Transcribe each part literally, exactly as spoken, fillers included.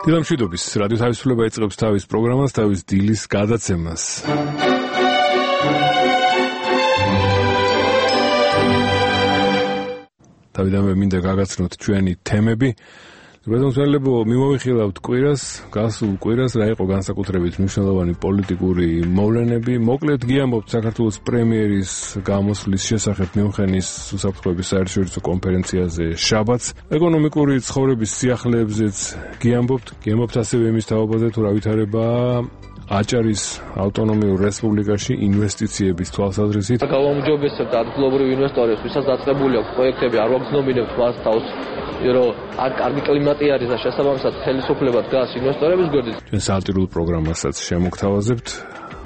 დილამშვიდობის რადიო თავისუფლება იწყებს თავის პროგრამას, თავის დილის გადაცემას. თავიდანვე მინდა გაგაცნოთ ჩვენი თემები. რადგან მიმოვიხილავთ კვირას, გასულ კვირას რა იყო განსაკუთრებით მნიშვნელოვანი პოლიტიკური მოვლენები. მოკლედ გიამბობთ საქართველოს პრემიერის გამოსვლის შესახებ მიუნხენის უსაფრთხოების საერთაშორისო კონფერენციაზე შაბათს. ეკონომიკური ცხოვრების სიახლეებზეც გიამბობთ. გიამბობთ ასევე იმის თაობაზე, თუ რა ვითარებაა აჭარის ავტონომიურ რესპუბლიკაში ინვესტიციების თვალსაზრისით. გავაუმჯობესებთ ადგილობრივ ინვესტორებს, ვისაც დაწყებული აქვს პროექტები, არ ვაგზნობინებთ მას თავს, რომ აქ კარგი კლიმატი არის და შესაბამისად ხელისუფლება დგას ინვესტორების გვერდით. ჩვენ სატირულ პროგრამასაც შემოგთავაზებთ,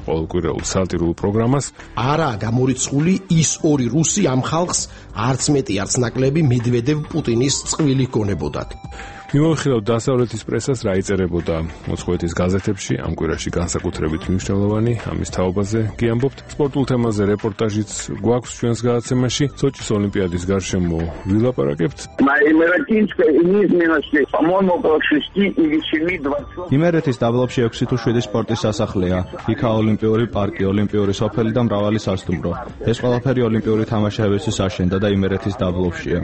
ყოველკვირეულ სატირულ პროგრამას. არა გამორიცხული ის ორი რუსი ამ ხალხს არც მეტი არც ნაკლები მედვედევ პუტინის წყვილი გონებოდათ. მიმოვიხილავთ დასავლეთის პრესას რა იწერებოდა მოწყვეტის გაზეთებში ამ კვირაში განსაკუთრებით მნიშვნელოვანი ამის თაობაზე გიამბობთ. სპორტულ თემაზე რეპორტაჟიც გვაქვს ჩვენს გადაცემაში. სოჭის ოლიმპიადის გარშემო ვილაპარაკებთ. იმერეთის დაბლობში ექვსი თუ შვიდი სპორტის სასახლეა. იქა ოლიმპიური პარკი, ოლიმპიური სოფელი და მრავალი სასტუმრო. ეს ყველაფერი ოლიმპიური თამაშებისთვის აშენდა და იმერეთის დაბლობშია.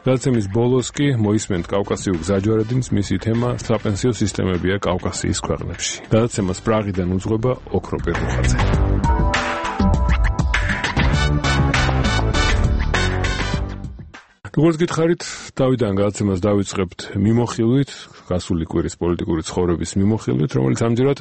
გადაცემის ბოლოს კი მოისმენთ კავკასიურ გზაჯვარედინს, მისი თემა საპენსიო სისტემებია კავკასიის ქვეყნებში. გადაცემას პრაღიდან უძღვება ოქრო პერუხაძე. როგორც გითხარით, თავიდან გადაცემას დავიწყებთ მიმოხილვით, გასული კვირის პოლიტიკური ცხოვრების მიმოხილვით, რომელიც ამჯერად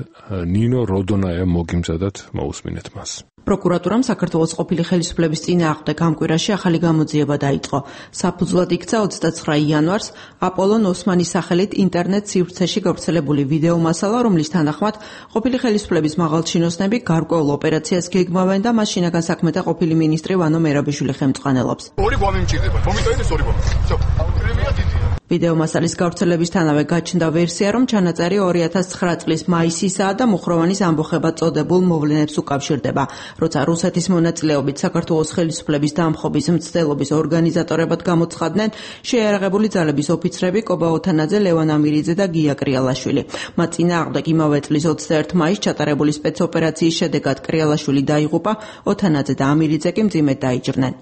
ნინო როდონაია მოგიმზადათ, მოусმინეთ მას. პროკურატურამ საქართველოს ყოფილი ხელისუფლების წინააღმდეგ ამ კვირაში ახალი გამოძიება დაიწყო. საფუძვლად იქცა ოცდაცხრა იანვარს აპოლონ ოსმანის სახელით ინტერნეტ სივრცეში გავრცელებული ვიდეო მასალა, რომლის თანახმად ყოფილი ხელისუფლების მაღალჩინოსნები გარკვეულ ოპერაციას გეგმავენ და მას შინაგან საქმეთა ყოფილი მინისტრი ვანო მერაბიშვილი ხელმძღვანელობს. ორი გვამი მჭირდება, მომიტოვეთ ეს ორი გვამი. всё, აუცილებლია დიდია. ვიდეო მასალის გავრცელებისთანავე გაჩნდა ვერსია, რომ ჩანაწერი ორი ათას ცხრა წლის მაისისაა და მუხროვანის ამბოხებად წოდებულ მოვლენებს უკავშირდება. როცა რუსეთის მონაწილეობით საქართველოს ხელისუფლების დამხობის მცდელობის ორგანიზატორებად გამოცხადდნენ შეიარაღებული ძალების ოფიცრები კობა ოთანაძე, ლევან ამირიძე და გია კრიალაშვილი. მათ წინააღმდეგ იმავე წლის ოცდაერთი მაისს ჩატარებული სპეცოპერაციის შედეგად კრიალაშვილი დაიღუპა, ოთანაძე და ამირიძე კი მძიმედ დაიჭრნენ.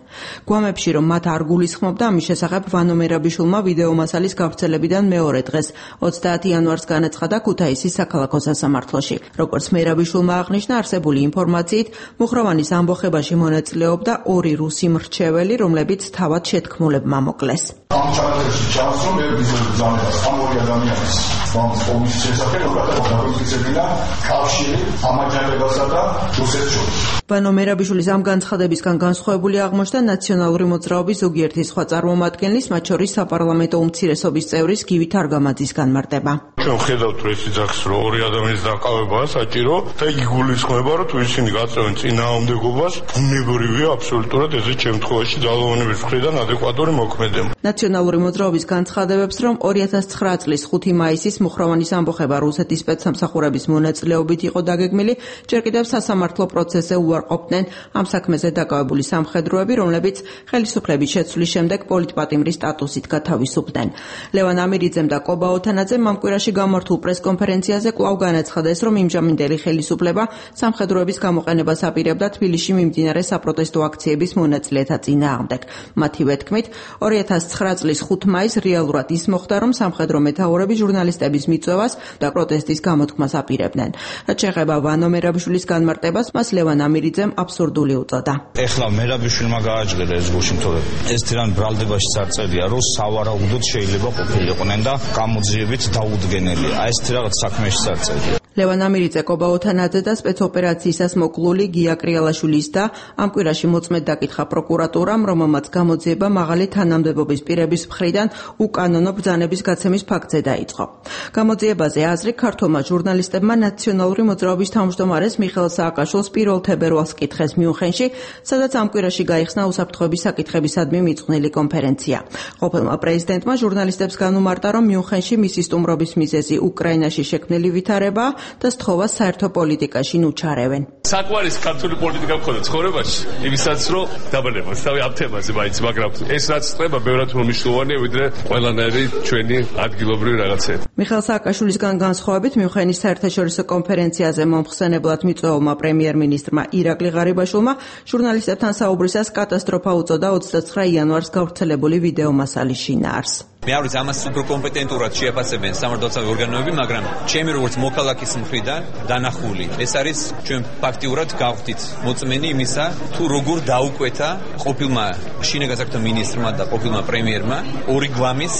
გვამებში რომ მათ არ გულისხმობდა, ამის შესახებ ვანო მერაბიშვილმა ვიდეო მასალის გავრცელებიდან მეორე დღეს ოცდაათი იანვარს განაცხადა ქუთაისის საქალაქო სასამართლოში. როგორც მერაბიშვილმა აღნიშნა, არსებული ინფორმაციით მუხროვანის ამბოხებაში მონაწილეობდა ორი რუსი მრჩეველი, რომლებიც თავად შეთქმულებმა მოკლეს. ამ ჩანაწერში ჩანს, რომ ერთ ბიზნესმენს ამ ორი ადამიანის ფონდის შესახებ გადაგზავნა კავშირი ამაჯანებასა და რუსეთს შორის. ვანო მერაბიშვილის ამ განცხადებისგან განსხვავებული აღმოჩნდა ნაციონალური მოძრაობის ზოგიერთი სხვა წარმომადგენლის, მათ შორის საპარლამენტო უმცირესობის წევრის გივი თარგამაძის განმარტება. ჩვენ ხედავთ, რომ ეს იძახს, რომ ორი ადამიანის დაკავებაა საჭირო და იგულისხმება, რომ თუ ისინი გაწევენ წინააღმდეგობას, ბუნებრივია აბსოლუტურად ესეთ შემთხვევაში ძალოვანების მხრიდან ადეკვატური მოქმედება. ნაციონალური მოძრაობის განცხადებებს, რომ ორი ათას ცხრა წლის ხუთი მაისის მუხროვანის ამბოხება რუსეთის სპეცსამსახურების მონაწილეობით იყო დაგეგმილი, ჯერ კიდევ სასამართლო პროცესზე უარყოფდნენ ამ საქმეზე დაკავებული სამხედროები, რომლებიც ხელისუფლების შეცვლის შემდეგ პოლიტპატიმრის სტატუსით გათავისუფლდნენ. ლევან ამირიძემ და კობა ოთანაძემ ამ კვირაში გამართულ პრესკონფერენციაზე კვლავ განაცხადეს, რომ იმჟამინდელი ხელისუფლება სამხედროების გამოყენებას აპირებდა თბილისში მიმდინარე საპროტესტო აქციების მონაწილეთა წინააღმდეგ. მათივე თქმით, ორი ათას ცხრა წლის ხუთი მაისს რეალურად ის მოხდა, რომ სამხედრო მეთაურები ჟურნალისტების მიწვევას და პროტესტის გამოთქმას აპირებდნენ. რაც შეეხება ვანო მერაბიშვილის განმარტებას, მას ლევან ამირიძემ აბსურდული უწოდა. ეხლა მერაბიშვილმა გააჭრა ეს გულში, თორე ეს თირან ბრალდებაში წარწერია, რომ სავარაუდოდ შეიძლება ყოფილიყვნენ და გამოძიებით დაუდგენელი. აი ეს რაღაც საქმეში წარწერია. ლევან ამირიძე, კობა ოთანაძე და სპეცოპერაციისას მოკლული გია კრიალაშვილის და ამ კვირაში მოწმედ დაკითხა პროკურატურამ, რომელმაც გამოძიება მაღალი თანამდებობის პირების მხრიდან უკანონო ბრძანების გაცემის ფაქტზე დაიწყო. გამოძიებაზე აზრი ქართულმა ჟურნალისტებმა ნაციონალური მოძრაობის თავმჯდომარეს მიხეილ სააკაშვილს პირველ თებერვალს კითხეს მიუნხენში, სადაც ამ კვირაში გაიხსნა უსაფრთხოების საკითხებისადმი მიძღვნილი კონფერენცია. ყოფილმა პრეზიდენტმა ჟურნალისტებს განუმარტა, რომ მიუნხენში მისი სტუმრობის მიზეზი უკრაინაში შექმნილი ვითარება, და სთხოვას საერთო პოლიტიკაში ნუჩარევენ. საყვარის ქართული პოლიტიკა მქონდა ცხოვრებაში, იმისაც რომ დაბანებას თავი ამ თემაზე მაინც, მაგრამ ეს რაც ხდება ბევრად უფრო მნიშვნელოვანია ვიდრე ყველანაირი ჩვენი ადგილობრივი რაღაცები. მიხეილ სააკაშვილისგან განსხვავებით მიუნხენის საერთაშორისო კონფერენციაზე მომხსენებლად მიწვეულმა პრემიერ-მინისტრმა ირაკლი ღარიბაშვილმა ჟურნალისტებთან საუბრისას კატასტროფა უწოდა ოცდაცხრა იანვარს გავრცელებული ვიდეო მასალის შინაარს. მე არ ვიცი ამას უფრო კომპეტენტურად შეაფასებენ სამართალდაცვი ორგანოები, მაგრამ ჩემი როგორც მოქალაქის მხრიდან დანახული ეს არის ჩვენ ფაქტიურად გავხდით მოწმენი იმისა, თუ როგორ დაუკვეთა ყოფილმა შინაგან საქმეთა მინისტრმა და ყოფილმა პრემიერმა ორი გვამის,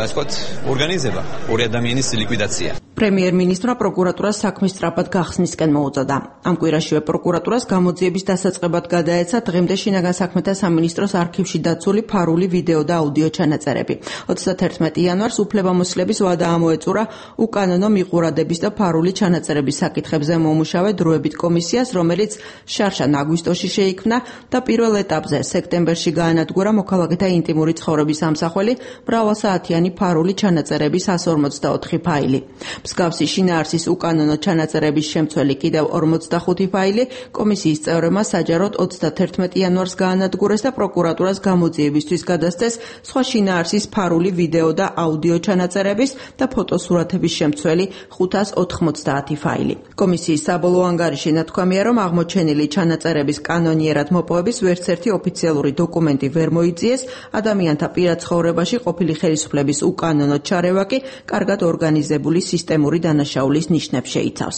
ასე ვთქვათ, ორგანიზება, ორი ადამიანის ლიკვიდაცია. პრემიერ-მინისტრმა პროკურატურას საქმის სწრაფად გახსნისკენ მოუწოდა. ამ კვირაშივე პროკურატურას გამოძიების დასაწყებად გადაეცა დღემდე შინაგან საქმეთა სამინისტროს არქივში დაცული ფარული ვიდეო და აუდიო ჩანაწერები. ოცდათერთმეტი იანვარს უფლებამოსილების ვადა ამოეწურა უკანონო მიყურადების და ფარული ჩანაწერების საკითხებზე მომუშავე დროებით კომისიას, რომელიც შარშან აგვისტოში შეიქმნა და პირველ ეტაპზე სექტემბერში გაანადგურა მოქალაქეთა ინტიმური ცხოვრების ამსახველი მრავალსაათიანი ფარული ჩანაწერების εκατს ორმოცდაოთხი ფაილი. მსგავსი შინაარსის უკანონო ჩანაწერების შემცველი კიდევ ორმოცდახუთი ფაილი კომისიის წევრებმა საჯაროდ ოცდათერთმეტი იანვარს გაანადგურეს და პროკურატურას გამოძიებისთვის გადასცეს სხვა შინაარსის ფარული ვიდეო და აუდიო ჩანაწერების და ფოტოსურათების შემცველი ხუთას ოთხმოცდაათი ფაილი. კომისიის საბოლოო ანგარიში ნათქვამია, რომ აღმოჩენილი ჩანაწერების კანონიერად მოპოვების ვერც ერთი ოფიციალური დოკუმენტი ვერ მოიწიეს, ადამიანთა პირად ცხოვრებაში ყოფილი ხელისუფლების უკანონო ჩარევა კი კარგად ორგანიზებული სისტემური დანაშაულის ნიშნებს შეიცავს.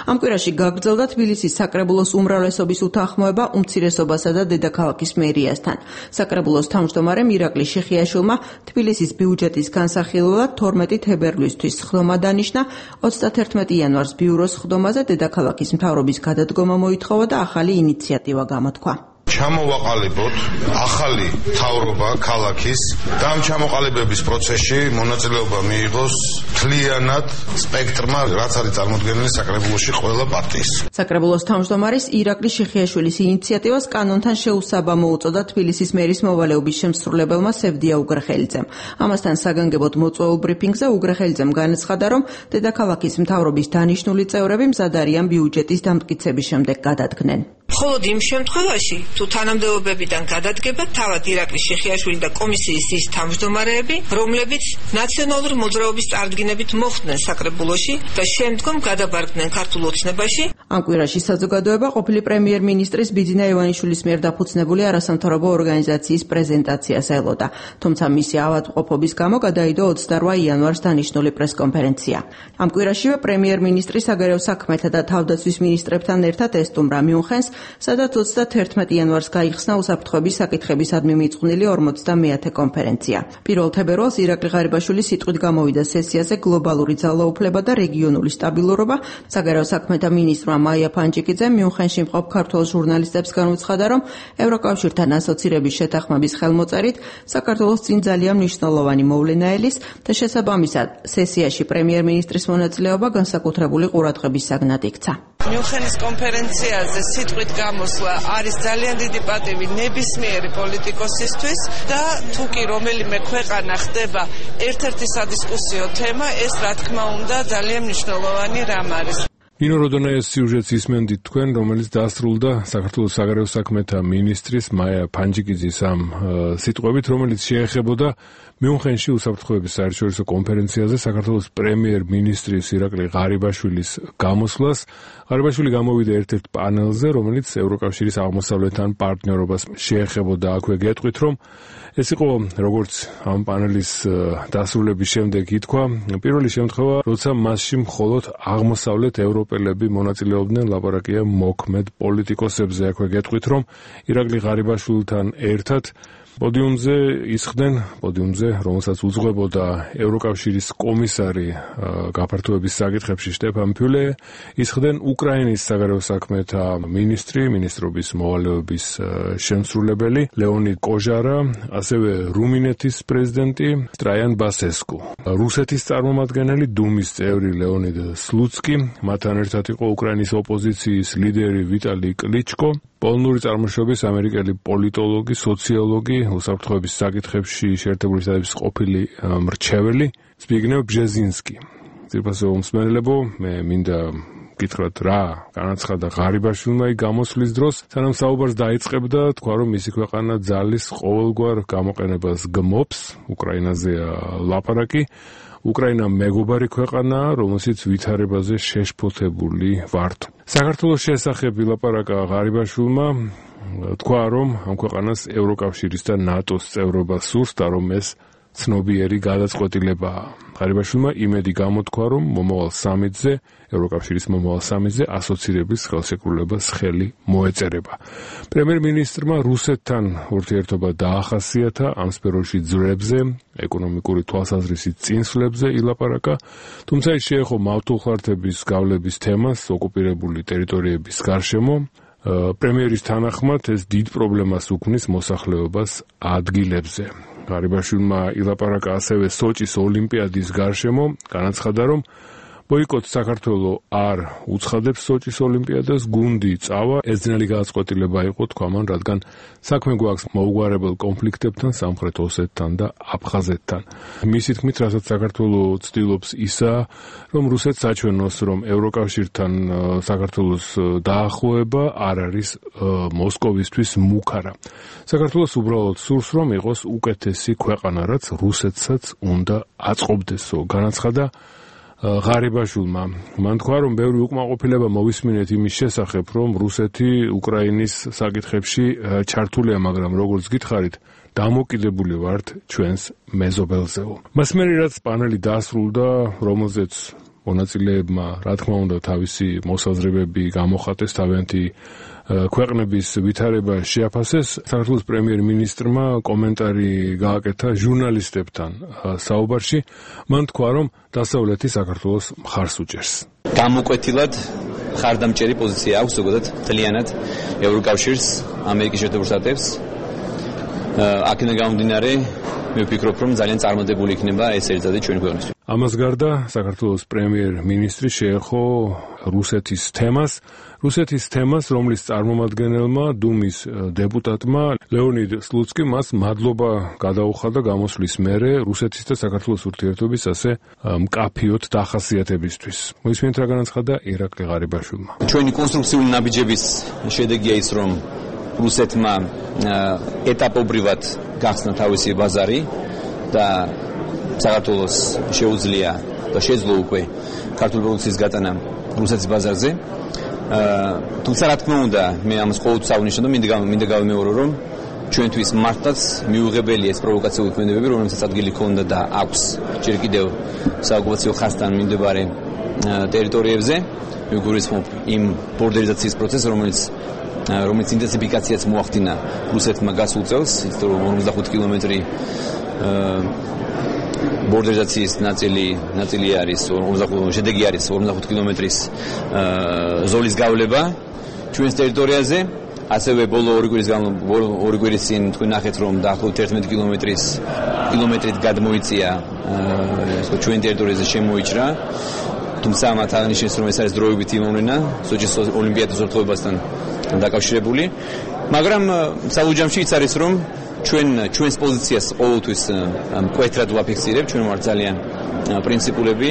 ამ კვირაში გაგრძელდა თბილისის საკრებულოს უმრავლესობის უთანხმოება უმცირესობასა და დედაქალაქის მერიასთან. საკრებულოს თავმჯდომარემ ირაკლი შიხიაშვილმა თბილისის ბიუჯეტის განსახილველად თორმეტი თებერვლისთვის სხდომა დანიშნა, ოცდათერთმეტი იანვარს ბიუროს სხდომაზე დედაქალაქის მთავრობის გადადგომა მოითხოვა და ახალი ინიციატივა გამოთქვა. ჩამოვაყალიბოთ ახალი მთავრობა ქალაქის და ამ ჩამოყალიბების პროცესში მონაწილეობა მიიღოს მთლიანად სპექტრმა, რაც არის წარმოდგენილი საკრებულოში ყველა პარტიის. საკრებულოს თავმჯდომარის ირაკლი შიხიაშვილის ინიციატივას კანონთან შეუსაბამო უწოდა თბილისის მერის მოვალეობის შემსრულებელმა სევდია უგრეხელიძემ. ამასთან საგანგებოდ მოწვეულ ბრიფინგზე უგრეხელიძემ განაცხადა, რომ დედაქალაქის მთავრობის დანიშნული წევრები მზად არიან ბიუჯეტის დამტკიცების შემდეგ გადადგნენ. მხოლოდ იმ შემთხვევაში, თუ თანამდებობებიდან გადადგება თავად ირაკლი შიხიაშვილი და კომისიის ის თავმჯდომარეები, რომლებიც ნაციონალური მოძრაობის წარდგინებით მოხვდნენ საკრებულოში და შემდგომ გადაბარგდნენ ქართულ ოცნებაში. ამ კვირაში საზოგადოება ყოფილი პრემიერ-მინისტრის ბიძინა ივანიშვილის მიერ დაფუძნებული არასამთავრობო ორგანიზაციის პრეზენტაციას ელოდა, თუმცა მისი ავადმყოფობის გამო გადაიდო ოცდარვა იანვარს დანიშნული პრესკონფერენცია. ამ კვირაშივე პრემიერ-მინისტრი საგარეო საქმეთა და თავდაცვის მინისტრებთან ერთად ესტუმრა მიუნხენს, სადაც ოცდათერთმეტი იანვარს გაიხსნა უსაფრთხოების საკითხებისადმი მიწყვნილი ორმოცდამეათე კონფერენცია. პირველ თებერვალს ირაკლი ღარიბაშვილი სიტყვით გამოვიდა სესიაზე გლობალური ძალაუფლება და რეგიონული სტაბილურობა. საგარეო საქმეთა მინისტრმა მაია ფანჯიკიძემ მიუნხენში მყოფ ქართველ ჟურნალისტებს განუცხადა, რომ ევროკავშირთან ასოცირების შეთანხმების ხელმოწერით საქართველოს წინ ძალიან მნიშვნელოვანი მოვლენა ელის და შესაბამისად სესიაში პრემიერ-მინისტრის მონაწილეობა განსაკუთრებული ყურადღების საგნად იქცა. მიუნხენის კონფერენციაზე სიტყვით გამოსვლა არის ძალიან დიდი პატივი ნებისმიერი პოლიტიკოსისთვის და თუ კი რომელიმე ქვეყანა ხდება ერთ-ერთი სადისკუსიო თემა, ეს რა თქმა უნდა ძალიან მნიშვნელოვანი რამ არის. ნინო როდონაიას სიუჟეტს ისმენდით თქვენ, რომელიც დასრულდა საქართველოს საგარეო საქმეთა მინისტრის მაია ფანჯიკიძის ამ სიტყვებით, რომელიც შეეხებოდა მიუნხენში უსაფრთხოების საერთაშორისო კონფერენციაზე საქართველოს პრემიერ-მინისტრის ირაკლი ღარიბაშვილის გამოსვლას. ღარიბაშვილი გამოვიდა ერთ-ერთ პანელზე, რომელიც ევროკავშირის აღმოსავლეთთან პარტნიორობას შეეხებოდა. აქვე გეტყვით, რომ ეს იყო როგორც ამ პანელის დასრულების შემდეგ ითქვა, პირველი შემთხვევა, როცა მასში მხოლოდ აღმოსავლეთ ევროპელები მონაწილეობდნენ, ლაპარაკია მოქმედ პოლიტიკოსებზე. აქვე გეტყვით, რომ ირაკლი ღარიბაშვილთან ერთად პოდიუმზე ისხდნენ, პოდიუმზე, რომელსაც უძღვებოდა ევროკავშირის კომისარი გაფართოების საკითხებში შტეფან ფიულე, ისხდნენ უკრაინის საგარეო საქმეთა მინისტრი, მინისტრობის მოვალეობის შემსრულებელი ლეონიდ კოჟარა, ასევე რუმინეთის პრეზიდენტი ტრაიან ბასესკუ, რუსეთის წარმომადგენელი დუმის წევრი ლეონიდ სლუცკი, მათთან ერთად იყო უკრაინის ოპოზიციის ლიდერი ვიტალი კლიჩკო, პოლონური წარმოშობის ამერიკელი პოლიტოლოგი, სოციოლოგი, უსაფრთხოების საკითხებში შეერთებული შტატების ყოფილი მრჩეველი ზბიგნევ ბჟეზინსკი. ძირფასო უმსმენელებო, მე მინდა გითხრათ რა განაცხადა ღარიბაშვილმა იქ გამოსვლის დროს, სანამ საუბარს დაიწყებდა, თქვა რომ მისი ქვეყანა ძალის ყოველგვარ გამოყენებას გმობს, უკრაინაზეა ლაპარაკი. უკრაინა მეგობარი ქვეყანაა, რომელშიც ვითარებაზე შეშფოთებული ვართ. საქართველოს შესახებ ვილაპარაკა ღარიბაშვილმა, თქვა რომ ამ ქვეყანას ევროკავშირის და ნატოს წევრობა სურს და რომ ეს ცნობიერი გადაწყვეტილებაა. ღარიბაშვილმა იმედი გამოთქვა, რომ მომავალ სამიტზე, ევროკავშირის მომავალ სამიტზე ასოცირების ხელშეკრულებას ხელი მოეწერება. პრემიერ-მინისტრმა რუსეთთან ურთიერთობა დაახასიათა, ამ სფეროში ძვრებზე, ეკონომიკური თვალსაზრისით წინსვლებზე ილაპარაკა, თუმცა ის შეეხო მავთულხარდების გავლების თემას ოკუპირებული ტერიტორიების გარშემო. პრემიერის თანახმად ეს დიდ პრობლემას უქმნის მოსახლეობას ადგილებზე. ღარიბაშვილმა ილაპარაკა ასევე სოჭის ოლიმპიადის გარშემო, განაცხადა, რომ ბოიკოტს საქართველოს არ უცხადებს სოჭის ოლიმპიადას, გუნდი წავა, ეს ძნელი გადაწყვეტილება იყო, თქვა მან, რადგან საქმე გვაქვს მოუგვარებელ კონფლიქტებთან, სამხრეთ ოსეთთან და აფხაზეთთან. მისი თქმით, რასაც საქართველოს ცდილობს ისაა, რომ რუსეთს აჩვენოს, რომ ევროკავშირთან საქართველოს დაახლოება არ არის მოსკოვისთვის მუქარა. საქართველოს უბრალოდ სურს, რომ იყოს უკეთესი ქვეყანა, რაც რუსეთსაც უნდა აწყობდესო, განაცხადა ღარიბაშვილმა. მან თქვა, რომ ბევრი უკმაყოფილება მოვისმინეთ იმის შესახებ, რომ რუსეთი უკრაინის საკითხებში ჩართულია, მაგრამ როგორც გითხარით, დამოკიდებული ვართ ჩვენს მეზობელზეო. მას მერე რაც პანელი დასრულდა, რომელზეც მონაწილეებმა, რა თქმა უნდა, თავისი მოსაზრებები გამოხატეს, თავიანთი ქვეყნების ვითარება შეაფასეს, საქართველოს პრემიერ-მინისტრმა კომენტარი გააკეთა ჟურნალისტებთან საუბარში. მან თქვა, რომ დასავლეთი საქართველოს მხარს უჭერს. გამოკვეთილად ხარდამჭერი პოზიცია აქვს ზოგადად მთლიანად ევროკავშირს, ამერიკის შეერთებულ შტატებს. აქედან გამომდინარე, მე ვფიქრობ, რომ ძალიან წარმატებული იქნება ეს ერთადერთი ჩვენი ქვეყნისთვის. ამას გარდა საქართველოს პრემიერ-მინისტრი შეეხო რუსეთის თემას, რუსეთის თემას, რომლის წარმომადგენელმა დუმის დეპუტატმა ლეონიდ სლუცკი მას მადლობა გადაუხადა გამოსვლის მერე რუსეთის და საქართველოს ურთიერთობის ასე მკაფიოდ დახასიათებისთვის. მოისმენთ რა განაცხადა ირაკლი ღარიბაშვილმა. ჩვენი კონსტრუქციული ნაბიჯების შედეგია ის, რომ რუსეთმა ეტაპობრივად გახსნა თავისი ბაზარი და საქართველოს შეუძლია და შეძლო უკვე ქართული პროდუქციის გატანა რუსეთის ბაზარზე. თუმცა რა თქმა უნდა, მე ამას ყოველთვის აღნიშნავ და მინდა მინდა გავიმეორო, რომ ჩვენთვის მართლაც მიუღებელია ეს პროვოკაციული ქმედებები, რომელსაც ადგილი ჰქონდა და აქვს ჯერ კიდევ საოკუპაციო ხაზთან მიმდებარე ტერიტორიებზე. მე გულისხმობ იმ ბორდერიზაციის პროცესს, რომელიც რომელიც ინტენსიფიკაციაც მოახდინა რუსეთმა გასულ წელს, ის რომ ორმოცდახუთი კილომეტრი ბორდერიზაციის ნაწილი ნაწილი არის ორმოცდახუთი შედეგი არის ორმოცდახუთი კილომეტრის ზოლის გავლება ჩვენს ტერიტორიაზე. ასევე ბოლო ორი კვირის ორი კვირის წინ თქვენ ნახეთ, რომ დაახლოებით ერთმეტი კილომეტრის კილომეტრით გადმოიწია ეს ჩვენ ტერიტორიაზე შემოიჭრა. თუმცა მათ აღნიშნეს, რომ ეს არის დროებითი მოვლენა სოჭის ოლიმპიადის ურთიერთობასთან დაკავშირებული, მაგრამ საბუჯამში ის არის, რომ ჩვენ ჩვენს პოზიციას ყოველთვის მკვეთრად ვაფიქსირებ, ჩვენ ვართ ძალიან პრინციპულები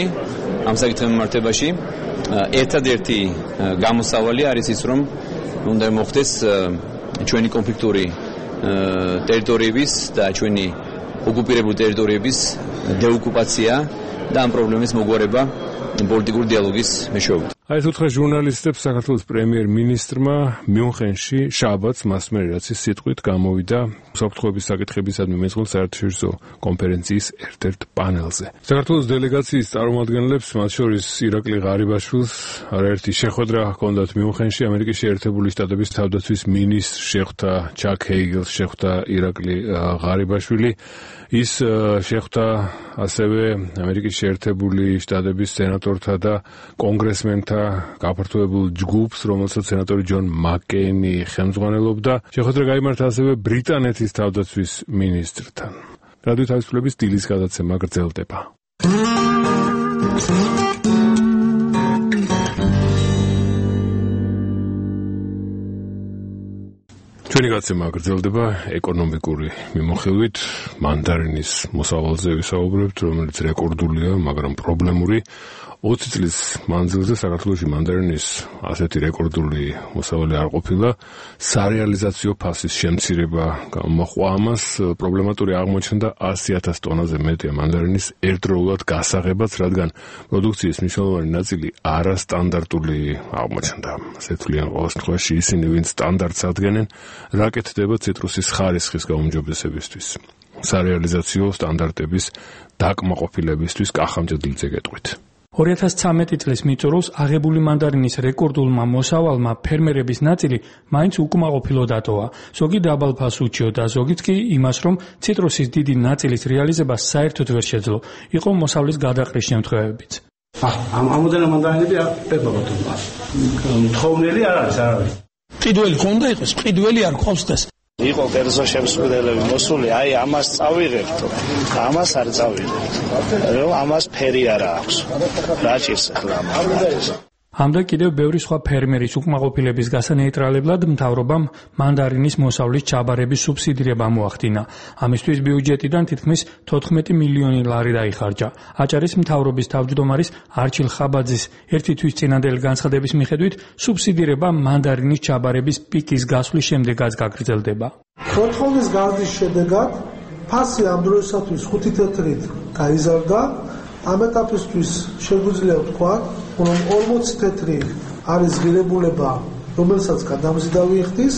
ამ საკითხის მიმართებაში. ერთადერთი გამოსავალი არის ის, რომ უნდა მოხდეს ჩვენი კონფლიქტური ტერიტორიების და ჩვენი ოკუპირებული ტერიტორიების დეოკუპაცია და ამ პრობლემის მოგვარება პოლიტიკური დიალოგის მეშვეობით. აი ეს უთხრა ჟურნალისტებს საქართველოს პრემიერ-მინისტრმა მიუნხენში შაბათს მას მერე რაც ის სიტყვით გამოვიდა უსაფრთხოების საკითხებისადმი მეწყვილ საერთაშორისო კონფერენციის ერთ-ერთ პანელზე. საქართველოს დელეგაციის წარმომადგენლებს, მათ შორის ირაკლი ღარიბაშვილს, არაერთი შეხვედრა ჰქონდათ მიუნხენში. ამერიკის შეერთებული შტატების თავდაცვის მინისტრს შეხვდა ჩაკ ჰეიგელს, შეხვდა ირაკლი ღარიბაშვილი. ის შეხვდა ასევე ამერიკის შეერთებული შტატების სენატორთა და კონგრესმენთა გაფართოებულ ჯგუფს, რომელსაც სენატორი ჯონ მაკკეინი ხელმძღვანელობდა. შეხვედრა გაიმართა ასევე ბრიტანეთის თავდაცვის მინისტრთან. რადიო თავისუფლების დილის გადაცემა გრძელდება. ჩვენი გადაცემა გრძელდება ეკონომიკური მიმოხილვით. მანდარინის მოსავალზე ვისაუბრებთ, რომელიც რეკორდულია, მაგრამ პრობლემური. ოცი წლის მანძილზე საქართველოში მანდარინის ასეთი რეკორდული მოსავალი არ ყოფილა. სარეალიზაციო ფასის შემცირება გამოხვა ამას, პრობლემატური აღმოჩნდა ასი ათას ტონაზე მეტია მანდარინის ერთდროულად გასაღებაც, რადგან პროდუქციის მნიშვნელოვანი ნაწილი არასტანდარტული აღმოჩნდა. ასე თვლიან ყოველ შემთხვევაში ისინი, ვინც სტანდარტს ადგენენ, რა კეთდება ციტრუსის ხარისხის გაუმჯობესებისთვის. სარეალიზაციო სტანდარტების დაკმაყოფილებისთვის კახამჭედლიძე გეტყვით. ორი ათას ცხრამეტი წლის მიწურულს აღებული მანდარინის რეკორდულმა მოსავალმა ფერმერების ნაწილი მაინც უკმაყოფილო დატოვა. ზოგი დაბალფას უჩიოდა, ზოგიც კი იმას, რომ ციტრუსის დიდი ნაწილის რეალიზება საერთოდ ვერ შეძლო. იყო მოსავლის გადაყრის შემთხვევებიც. ამ ამოდენა მანდარინები არ პერბა ბატონო. თხოვნელი არ არის, არ არის. ყიდველი ხონდა იყოს, ყიდველი არ ყავს და იყო კერძო შემსრულებელი მოსული, აი ამას წავიღებთ, ამას არ წავიღებთ, რომ ამას ფერი არ აქვს. რა ჭირს ახლა ამას? ამდა კიდევ ბევრი სხვა ფერმერის უკმაყოფილების გასანეიტრალებლად მთავრობამ მანდარინის მოსავლის ჩაბარების სუბსიდირება მოახდინა. ამისთვის ბიუჯეტიდან თითქმის თოთხმეტი მილიონი ლარი დაიხარჯა. აჭარის მთავრობის თავმჯდომარის არჩილ ხაბაძის ერთი თვის წინანდელი განცხადების მიხედვით, სუბსიდირება მანდარინის ჩაბარების პიკის გასვლის შემდეგაც გაგრძელდება. ფოთხოვნის გაზის შედეგად ფასი ამ დროისათვის ხუთი თეთრით გაიზარდა. ამ ეტაპისთვის შეგვიძლია ვთქვა, რომ ორმოცი თეთრი არის ღირებულება, რომელსაც გადამზიდავი იხდის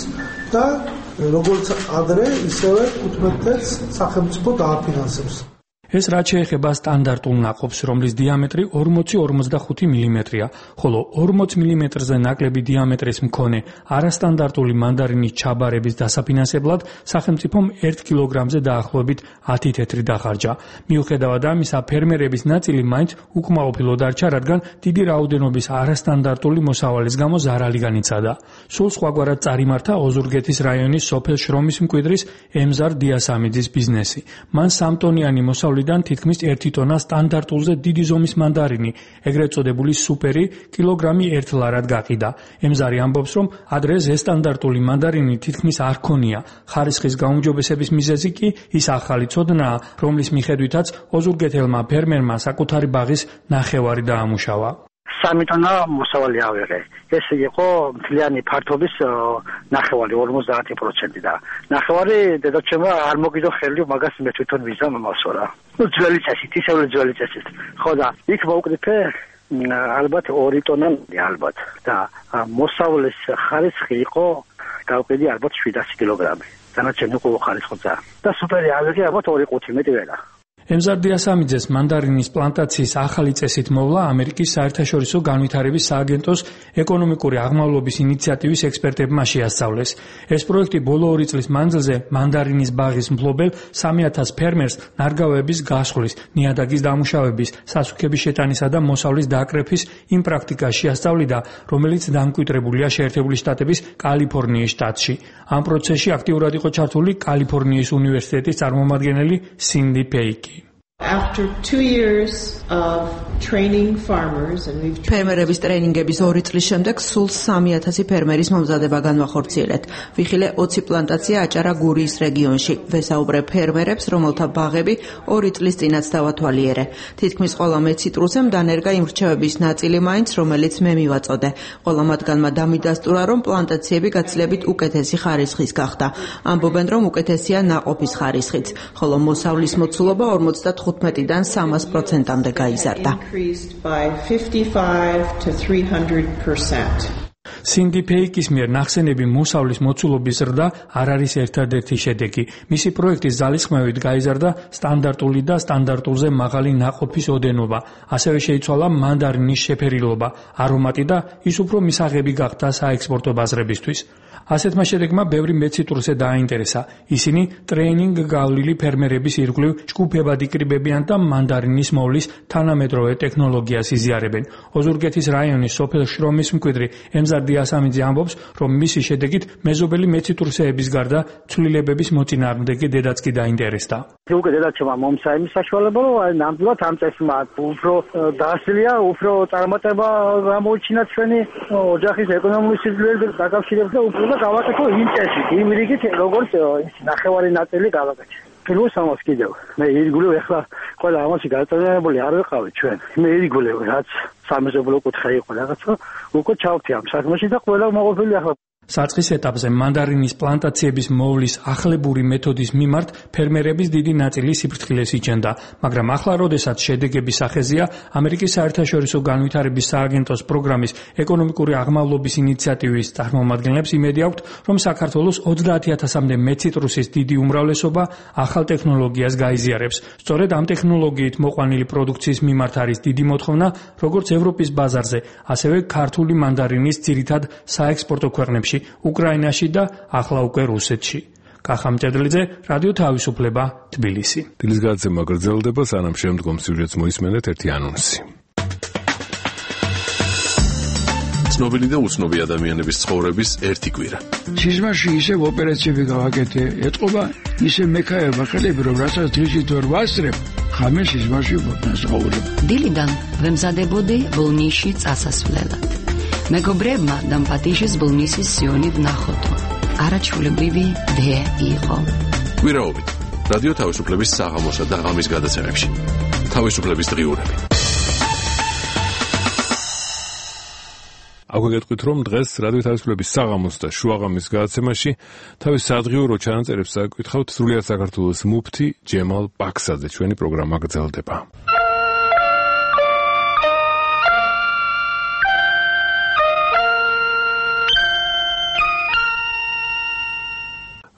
და როგორც ადრე, ისევე თხუთმეტ თეთრს სახელმწიფო დააფინანსებს. ეს რაც შეეხება სტანდარტულ ნაყოფს, რომლის დიამეტრი ორმოცი ორმოცდახუთი მილიმეტრია, ხოლო ორმოც მილიმეტრზე ნაკლები დიამეტრის მქონე არასტანდარტული მანდარინის ჩაბარების დასაფინანსებლად სახელმწიფომ ერთ კილოგრამზე დაახლოებით ათი თეთრი დახარჯა. მიუხედავად ამისა, ფერმერების ნაწილი მაინც უკმაყოფილო დარჩა, რადგან დიდი რაოდენობის არასტანდარტული მოსავალის გამო ზარალი განიცადა. სულ სხვაგვარად წარიმართა ოზურგეთის რაიონის სოფელ შრომის მკვიდრის ემზარ დიასამიძის ბიზნესი. მან სამტონიანი მოსავლიდან თითქმის ერთი ტონა სტანდარტულზე დიდი ზომის მანდარინი, ეგრეთ წოდებული სუპერი, კილოგრამი ერთ ლარად გაყიდა. ემზარი ამბობს, რომ ადრე ზესტანდარტული მანდარინი თითქმის არ ქონია. ხარისხის გაუმჯობესების მიზეზი კი ის ახალი ცოდნაა, რომლის მიხედვითაც ოზურგეთელმა ფერმერმა საკუთარი ბაღის ნახევარი დაამუშავა. სამი ტონა მოსავალი ავიღე. ეს იყო მთლიანი ფართობის ნახევარი ორმოცდაათი პროცენტი და ნახევარი დედაჩემმა არ მოგიდო ხელი მაგას მე თვითონ ვიზამ მასორა. ნუ ძველი წესით, ისევ ძველი წესით. ხო და იქ მოვკრიფე ალბათ ორი ტონა ალბათ და მოსავლის ხარისხი იყო გავყიდი ალბათ შვიდასი კილოგრამი. დანარჩენი უკვე ხარისხია. და სუპერი ავიღე ალბათ ორი ყუთი მეტი ვერა. ემზარ დიასამიძეს მანდარინის პლანტაციის ახალი წესით მოვლა ამერიკის საერთაშორისო განვითარების სააგენტოს ეკონომიკური აღმავლობის ინიციატივის ექსპერტებმა შეასწავლეს. ეს პროექტი ბოლო ორი წლის მანძილზე მანდარინის ბაღის მფლობელ სამი ათას ფერმერს ნარგავების გასხლის, ნიადაგის დამუშავების, სასუქების შეტანისა და მოსავლის დაკრეფის იმ პრაქტიკას შეასწავლიდა, რომელიც დამკვიდრებულია შეერთებული შტატების კალიფორნიის შტატში. ამ პროცესში აქტიურად იყო ჩართული კალიფორნიის უნივერსიტეტის წარმომადგენელი სინდი პეიკი. After two years of training farmers and we've ფერმერების ტრეინინგების ორი წლის შემდეგ სულ სამი ათასი ფერმერის მომზადება განვახორციელეთ. ვიხილე ოცი პლანტაცია აჭარა გურიის რეგიონში. ვესაუბრე ფერმერებს, რომელთა ბაღები ორი წლის წინაც დავათვალიერე. თითქმის ყველა მეციტრუსემ დანერგა იმ რჩევების ნაწილი მაინც, რომელიც მე მივაწოდე. ყველა მათგანმა დამიდასტურა, რომ პლანტაციები გაცილებით უკეთესი ხარისხის გახდა. ამბობენ, რომ უკეთესია ნაყოფის ხარისხიც, ხოლო მოსავლის მოცულობა ორმოცდათხუთმეტიდან სამას პროცენტამდე გაიზარდა. სინდი პეიკის მიერ ნახსენები მოსავლის მოცულობის ზრდა არ არის ერთადერთი შედეგი. მისი პროექტის ძალისხმევით გაიზარდა სტანდარტული და სტანდარტულზე მაღალი ნაყოფის ოდენობა. ასევე შეიცვალა მანდარინის შეფერილობა, არომატი და ის უფრო მისაღები გახდა საექსპორტო ბაზრებისთვის. ასეთმა შედეგმა ბევრი მეციტრუსე დააინტერესა. ისინი ტრეინინგ გავლილი ფერმერების ირგვლივ ჯგუფებად იკრიბებიან და მანდარინის მოვლის თანამედროვე ტექნოლოგიას იზიარებენ. ოზურგეთის რაიონის სოფელ შრომის მკვიდრი ემზარ დიასამიძე ამბობს, რომ მისი შედეგით მეზობელი მეციტრუსეების გარდა ცვლილებების მოწინააღმდეგე დედაც კი დაინტერესდა. უკვე დედაჩემმა მომცა იმის საშუალება, რომ აი ნამდვილად ამ წესმა უფრო დაასწრია, უფრო წარმატება გამოიჩინა ჩვენი ოჯახის ეკონომიკის სიძლიერით დაკავშირებით და უფრო გავაკეთო იმ წესით, იმ რიგით, როგორც ის ნახევარი ნაწილი გავაკეთე. პირველს ამას კიდევ მე ირგვლივ ახლა ყველა ამაში გაწევრებული არ ვიყავი ჩვენ მე ირგვლივ რაც სამეზობლო კუთხე იყო რაღაცა უკვე ჩავთი ამ საქმეში და ყველა მოყოფილი ახლა საწყის ეტაპზე მანდარინის პლანტაციების მოვლის ახლებური მეთოდის მიმართ ფერმერების დიდი ნაწილი სიფრთხილეს იჩენდა, მაგრამ ახლა როდესაც შედეგების სახეზია, ამერიკის საერთაშორისო განვითარების სააგენტოს პროგრამის ეკონომიკური აღმავლობის ინიციატივის წარმომადგენლებს იმედი აქვთ, რომ საქართველოს ოცდაათი ათასამდე მეციტრუსის დიდი უმრავლესობა ახალ ტექნოლოგიას გაიზიარებს. სწორედ ამ ტექნოლოგიით მოყვანილი პროდუქციის მიმართ არის დიდი მოთხოვნა, როგორც ევროპის ბაზარზე, ასევე ქართული მანდარინის ძირითად საექსპორტო ქვეყნებში, უკრაინაში და ახლა უკვე რუსეთში. კახა მჭედლიძე, რადიო თავისუფლება, თბილისი. დილის გადაცემა გრძელდება, სანამ შემდგომ სიუჟეტს მოისმენთ ერთი ანონსი. ცნობილი და უცნობი ადამიანების ცხოვრების ერთი კვირა. სიზმარში ისევ ოპერაციები გავაკეთე, ეთყობა ისე მექაება ხელები, რომ რასაც დღისით ვერ ვასწრებ, ხამე სიზმარში ვასწავლებ. დილიდან ვემზადებოდი ბოლნისში წასასვლელად. მეგობრებმა დამპატიშის ბოლნისის სიონი ვნახოდო. არაჩვეულებრივი დე იყო. კვირაობით რადიო თავისუფლების საღამოსა და ღამის გადაცემებში. თავისუფლების დღიურები. აქვე გეტყვით, რომ დღეს რადიო თავისუფლების საღამოს და შუაღამის გადაცემაში თავის სადღიურო ჩანაწერებს საკითხავთ სრულიად საქართველოს მუფთი ჯემალ ბაქსაძე. ჩვენი პროგრამა გრძელდება.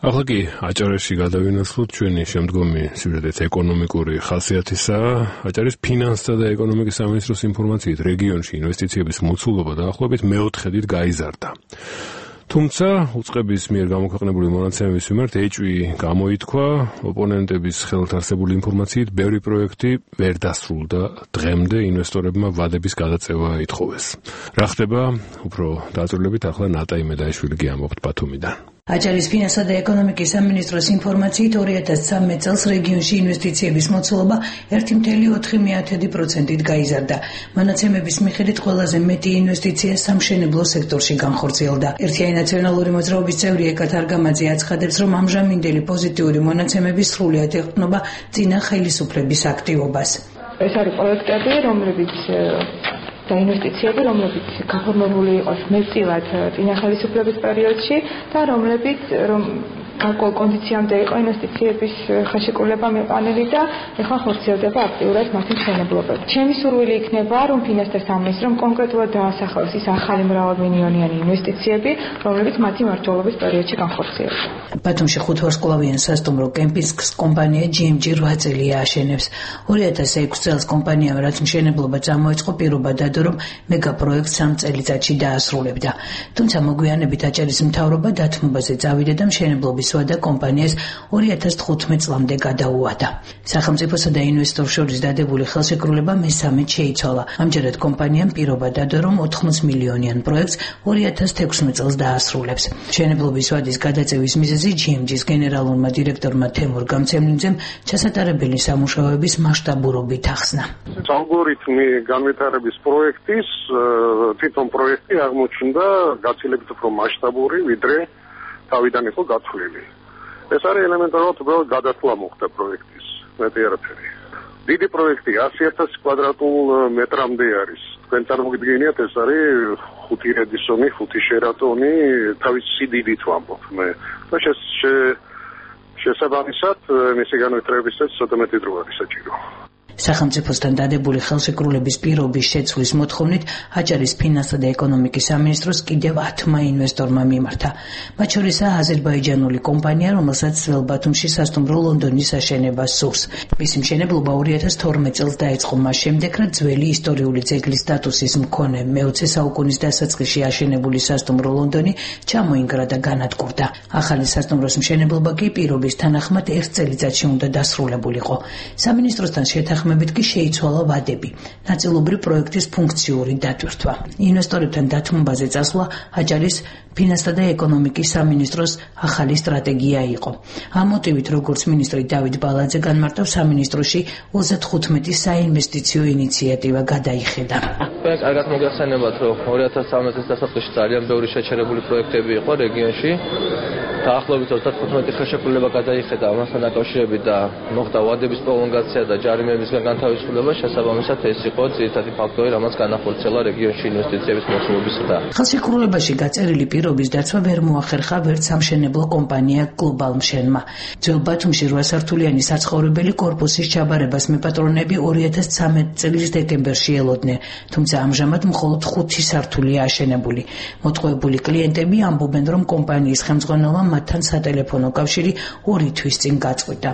ახლა კი აჭარაში გადავინაცვლოთ ჩვენი შემდგომი სიუჟეტით ეკონომიკური ხასიათისაა. აჭარის ფინანსთა და ეკონომიკის სამინისტროს ინფორმაციით რეგიონში ინვესტიციების მოცულობა დაახლოებით მეოთხედით გაიზარდა. თუმცა უწყების მიერ გამოქვეყნებული მონაცემების მიმართ ეჭვი გამოითქვა, ოპონენტების ხელთ არსებული ინფორმაციით ბევრი პროექტი ვერ დასრულდა დღემდე ინვესტორებმა ვადების გადაწევა ითხოვეს. რა ხდება? უფრო დაწვრილებით ახლა ნატა იმედაიშვილი გიამბობთ ბათუმიდან. აჭარის ფინანსთა და ეკონომიკის სამინისტროს ინფორმაციით ორი ათას ცხრამეტ წელს რეგიონში ინვესტიციების მოცულობა ერთი კoma ოთხი პროცენტით გაიზარდა. მონაცემების მიხედვით ყველაზე მეტი ინვესტიცია სამშენებლო სექტორში განხორციელდა. ერთიანი ნაციონალური მოძრაობის წევრი ეკათ არგამაძე აცხადებს, რომ ამჟამინდელი პოზიტიური მონაცემები სრულიად ეყრდნობა წინა ხელისუფლების აქტივობას. ეს არის პროექტები, რომლებიც და ინვესტიციები, რომლებიც გაფორმებული იყოს მეტწილად წინა ხელისუფლების პერიოდში და რომლებიც რომ გარკვეულ კონდიციამდე იყო ინვესტიციების ხელშეკრულება მეყანილი და ეხლა ხორციელდება აქტიურად მათი მშენებლობა. ჩემი სურვილი იქნება, რომ ფინანსთა სამინისტრომ კონკრეტულად დაასახელოს ის ახალი მრავალმილიონიანი ინვესტიციები, რომლებიც მათი მმართველობის პერიოდში განხორციელდა. ბათუმში ხუთვარსკვლავიან სასტუმრო კემპინგს კომპანია ჯი ემ ჯი რვა წელია აშენებს. ორი ათას ექვსი წელს კომპანიამ რაც მშენებლობა წამოიწყო, პირობა დადო, რომ მეგაპროექტს სამ წელიწადში დაასრულებდა. თუმცა მოგვიანებით აჭარის მთავრობა დათმობაზე წავიდა და მშენებლობის და კომპანიას ორი ათას თხუთმეტ წლამდე გადაუვადა. სახელმწიფოსა და ინვესტორს შორის დადებული ხელშეკრულება მესამედ შეიცვალა. ამჯერად კომპანიამ პირობა დადო, რომ ოთხმოც მილიონიან პროექტს ორი ათას თექვსმეტ წელს დაასრულებს. მშენებლობის ვადის გადაწევის მიზეზი ჯი ემ ჯის გენერალურმა დირექტორმა თემურ გამცემლინძემ ჩასატარებელი სამუშაოების მასშტაბურობით ახსნა. ალგორითმი განვითარების პროექტის თვითონ პროექტი აღმოჩნდა გაცილებით უფრო მასშტაბური, ვიდრე თავიდან იყო გათვლილი. ეს არის ელემენტარულად უბრალოდ გადასვლა მოხდა პროექტის, მეტი არაფერი. დიდი პროექტი ასი ათასი კვადრატულ მეტრამდე არის. თქვენ წარმოგიდგენიათ, ეს არის ხუთი რედისონი, ხუთი შერატონი, თავის სიდიდით ვამბობ მე. და შესაბამისად, მისი განვითარებისას ცოტა მეტი დრო არის საჭირო. სახელმწიფოსთან დადებული ხელშეკრულების პირობის შეცვლის მოთხოვნით აჭარის ფინანსთა და ეკონომიკის სამინისტროს კიდევ ათმა ინვესტორმა მიმართა. მათ შორისაა აზერბაიჯანული კომპანია, რომელსაც ძველ ბათუმში სასტუმრო ლონდონის აშენებას სურს. მისი მშენებლობა ორი ათას თორმეტ წელს დაიწყო, მას შემდეგ, რაც ძველი ისტორიული ძეგლის სტატუსის მქონე მეოცე საუკუნის დასაწყისში აშენებული სასტუმრო ლონდონი ჩამოინგრა და განადგურდა. ახალი სასტუმროს მშენებლობა კი პირობის თანახმად ერთ წელიწადში უნდა დასრულებულიყო. სამინისტროსთან შეთანხმებით შეთანხმებით კი შეიცვალა ვადები, ნაწილობრივ პროექტის ფუნქციური დატვირთვა. ინვესტორებთან დათმობაზე წასვლა აჭარის ფინანსთა და ეკონომიკის სამინისტროს ახალი სტრატეგია იყო. ამ მოტივით, როგორც მინისტრი დავით ბალაძე განმარტავს, სამინისტროში ოცდათხუთმეტი საინვესტიციო ინიციატივა გადაიხედა. კარგად მოგახსენებათ, რომ ორი ათას ცხრამეტი წლის დასაწყისში ძალიან ბევრი შეჩერებული პროექტები იყო რეგიონში. დაახლოებით ოცდათხუთმეტი ხელშეკრულება გადაიხედა ამასთან დაკავშირებით და მოხდა ვადების პროლონგაცია და ჯარიმებისგან განთავისუფლება. შესაბამისად, ეს იყო ძირითადი ფაქტორი, რამაც განახორციელა რეგიონში ინვესტიციების მოსულობის ზრდა. ხელშეკრულებაში გაწერილი პირობის დაცვა ვერ მოახერხა ვერც სამშენებლო კომპანია გლობალმშენმა. ძველ ბათუმში რვა სართულიანი საცხოვრებელი კორპუსის ჩაბარებას მეპატრონები ორი ათას ცხრამეტი წლის დეკემბერში ელოდნენ, თუმცა ამჟამად მხოლოდ ხუთი სართულია აშენებული. მოტყუებული კლიენტები ამბობენ, რომ კომპანიის ხელმძღვანელმა მათთან სატელეფონო კავშირი ორი თვის წინ გაწყვიტა.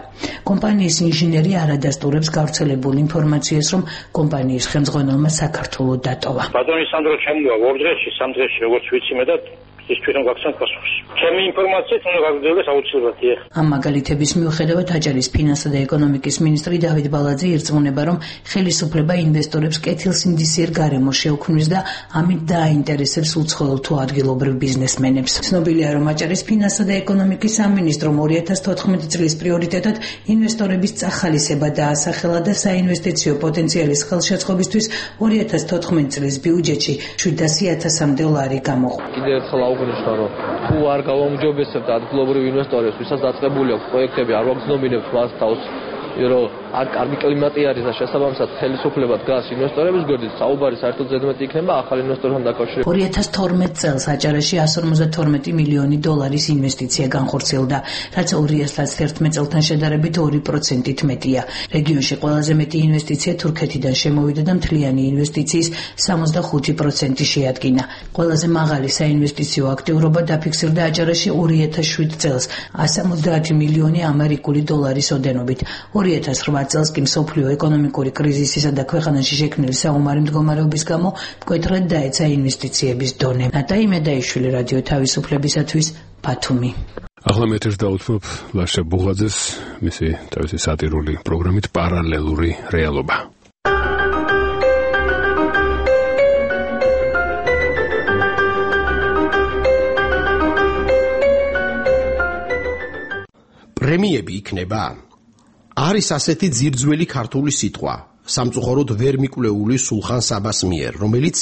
კომპანიის ინჟინერი არ ადასტურებს გავრცელებულ ინფორმაციას, რომ კომპანიის ხელმძღვანელმა საქართველო დატოვა. ბატონი სანდრო ჩემოვა ორ დღეში, სამ დღეში როგორც ვიცი მე და ის თვითონ გაგცემ პასუხს. ჩემი ინფორმაციით უნდა გაგრძელდეს აუცილებლად. ამ მაგალითების მიუხედავად აჭარის ფინანსთა და ეკონომიკის მინისტრი დავით ბალაძე ირწმუნება, რომ ხელისუფლება ინვესტორებს კეთილსინდისიერ გარემოს შეუქმნის და ამით დააინტერესებს უცხოელ თუ ადგილობრივ ბიზნესმენებს. ცნობილია, რომ აჭარის ფინანსთა და ეკონომიკის სამინისტრომ ორი ათას თოთხმეტი წლის პრიორიტეტად ინვესტორების წახალისება დაასახელა და საინვესტიციო პოტენციალის ხელშეწყობისთვის ორი ათას თოთხმეტი წლის ბიუჯეტში შვიდასი ათასამდე ლარი გამოყო. კიდევ ერთხელ აუგნიშნო, რომ თუ არ გავაუმჯობესებთ ადგილობრივ ინვესტორებს, ვისაც დაწყებული აქვს პროექტები, არ ვაგრძნობინებთ მას თავს, რომ არ კარგი კლიმატი არის და შესაბამისად ხელისუფლება დგას ინვესტორების გვერდით, საუბარი საერთოდ ზედმეტი იქნება ახალ ინვესტორებთან დაკავშირებით. ორი ათას თორმეტი წელს აჭარაში εκατს ორმოცდათორმეტი მილიონი დოლარის ინვესტიცია განხორციელდა, რაც ორი ათას ათერთმეტი წელთან შედარებით ორი პროცენტით მეტია. რეგიონში ყველაზე მეტი ინვესტიცია თურქეთიდან შემოვიდა და მთლიანი ინვესტიციის სამოცდახუთი პროცენტი შეადგინა. ყველაზე მაღალი საინვესტიციო აქტიურობა დაფიქსირდა აჭარაში ორი ათას შვიდ წელს εκατს ორმოცდაათი მილიონი ამერიკული დოლარის ოდენობით. ორი ათას რვა წელს კი მსოფლიო ეკონომიკური კრიზისისა და ქვეყანაში შექმნილი საომარი მდგომარეობის გამო მკვეთრად დაეცა ინვესტიციების დონე. ნატაი მედაიშვილი, რადიო თავისუფლებისათვის, ბათუმი. ახლა მე ერთად დავუთმობ ლაშა ბუღაძეს მისი თავისი სატირული პროგრამით პარალელური რეალობა. პრემიები იქნება? არის ასეთი ძირძველი ქართული სიტყვა, სამწუხაროდ ვერ მიკვლეული სულხან საბას მიერ, რომელიც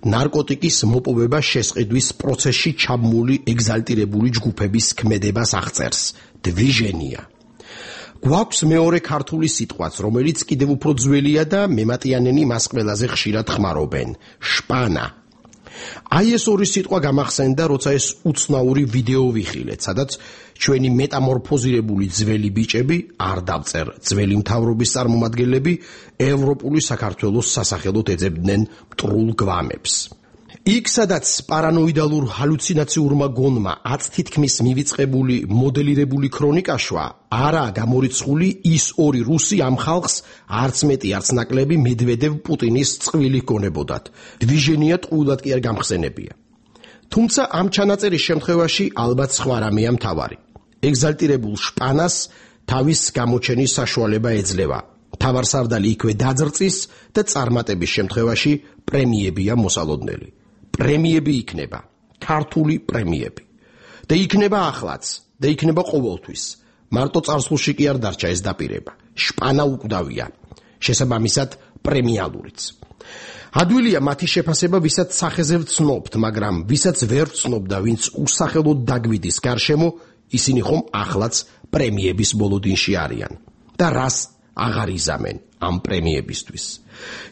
ნარკოტიკის მოპოვება შესყიდვის პროცესში ჩაბმული ეგზალტირებული ჯგუფების ქმედებას აღწერს. დვიჟენია. გვაქვს მეორე ქართული სიტყვაც, რომელიც კიდევ უფრო ძველია და მემატიანენი მას ყველაზე ხშირად ხმარობენ. შპანა. აი ეს ორი სიტყვა გამახსენდა, როცა ეს უცნაური ვიდეო ვიხილეთ, სადაც ჩვენი მეტამორფოზირებული ძველი ბიჭები, არ დავწერ ძველი მთავრობის წარმომადგენლები, ევროპული საქართველოს სასახელოდ ეძებდნენ მტრულ გვამებს. იქ, სადაც პარანოიდალურ ჰალუცინაციურმა გონმა აც თითქმის მივიწყებული მოდელირებული ქრონიკაშვა, არაა გამორიცხული ის ორი რუსი ამ ხალხს არც მეტი არც ნაკლები მედვედევ პუტინის წყვილი გონებოდათ. დვიჟენია ტყუილად კი არ გამხსენებია. თუმცა ამ ჩანაწერის შემთხვევაში ალბათ სხვა რამეა მთავარი. ეგზალტირებულ შპანას თავის გამოჩენის საშუალება ეძლევა. მთავარსარდალი იქვე დაძრწის და წარმატების შემთხვევაში პრემიებია მოსალოდნელი. პრემიები იქნება, ქართული პრემიები. და იქნება ახლაც, და იქნება ყოველთვის. მარტო წარსულში კი არ დარჩა ეს დაპირება. შპანა უკვდავია, შესაბამისად პრემიალურიც. ადვილია მათი შეფასება, ვისაც სახეზე ვცნობთ, მაგრამ ვისაც ვერ ვცნობ და ვინც უსახელოდ დაგვიდის გარშემო, ისინი ხომ ახლაც პრემიების ბოლოდინში არიან. და რას აღარ იზამენ ამ პრემიებისთვის.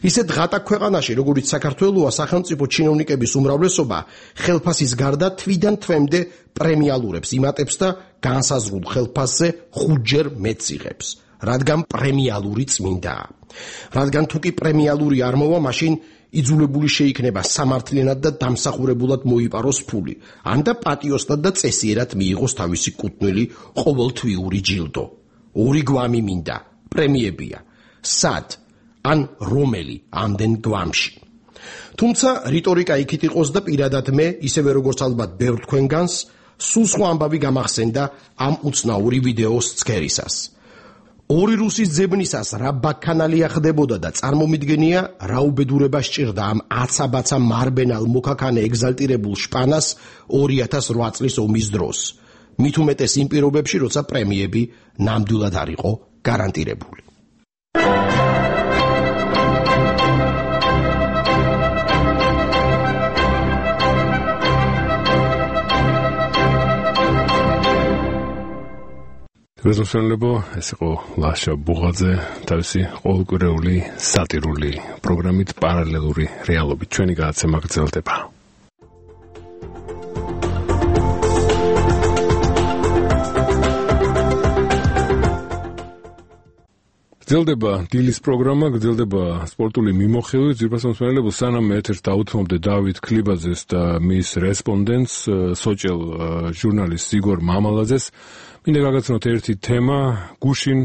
ისეთ ღატაკ ქვეყანაში, როგორიც საქართველოა, სახელმწიფო ჩინოვნიკების უმრავლესობა ხელფასის გარდა თვიდან თვემდე პრემიალურებს იმატებს და განსაზღვრულ ხელფასზე ხუთჯერ მეტს იღებს, რადგან პრემიალური წმინდაა. რადგან თუ კი პრემიალური არ მოვა, მაშინ იძულებული შეიქნება სამართლიანად და დამსახურებულად მოიპაროს ფული, ან და პატიოსნად და წესიერად მიიღოს თავისი კუთვნილი ყოველთვიური ჯილდო. ორი გვამი მინდა, პრემიებია. სად? ან რომელი ამდენ გვამში. თუმცა რიტორიკა იქით იყოს და პირადად მე, ისევე როგორც ალბათ ბევრ თქვენგანს, სულ სხვა ამბავი გამახსენდა ამ უცნაური ვიდეოს ცქერისას. ორი რუსის ძებნისას რა ბაქანალია ხდებოდა და წარმომიდგენია რა უბედურება სჭირდა ამ აცაბაცა მარბენალ მოქაქანე ეგზალტირებულ შპანას ორი ათას ოთხ წლის ომის დროს. მით უმეტეს იმ პირობებში, როცა პრემიები ნამდვილად არ იყო გარანტირებული. გასასვლელებო, ეს იყო ლაშა ბუღაძე თავისი ყოველკვირეული სატირული პროგრამით პარალელური რეალობით. ჩვენი გადაცემა გრძელდება. გრძელდება დილის პროგრამა, გრძელდება სპორტული მიმოხილვით. ძვირფასმოსმენელებო, სანამ ეთერს დაუთმობდე დავით ქლიბაძეს და მის რესპონდენტს, სოჭელ ჟურნალისტს იგორ მამალაძეს, მინდა გაგაცნოთ ერთი თემა. გუშინ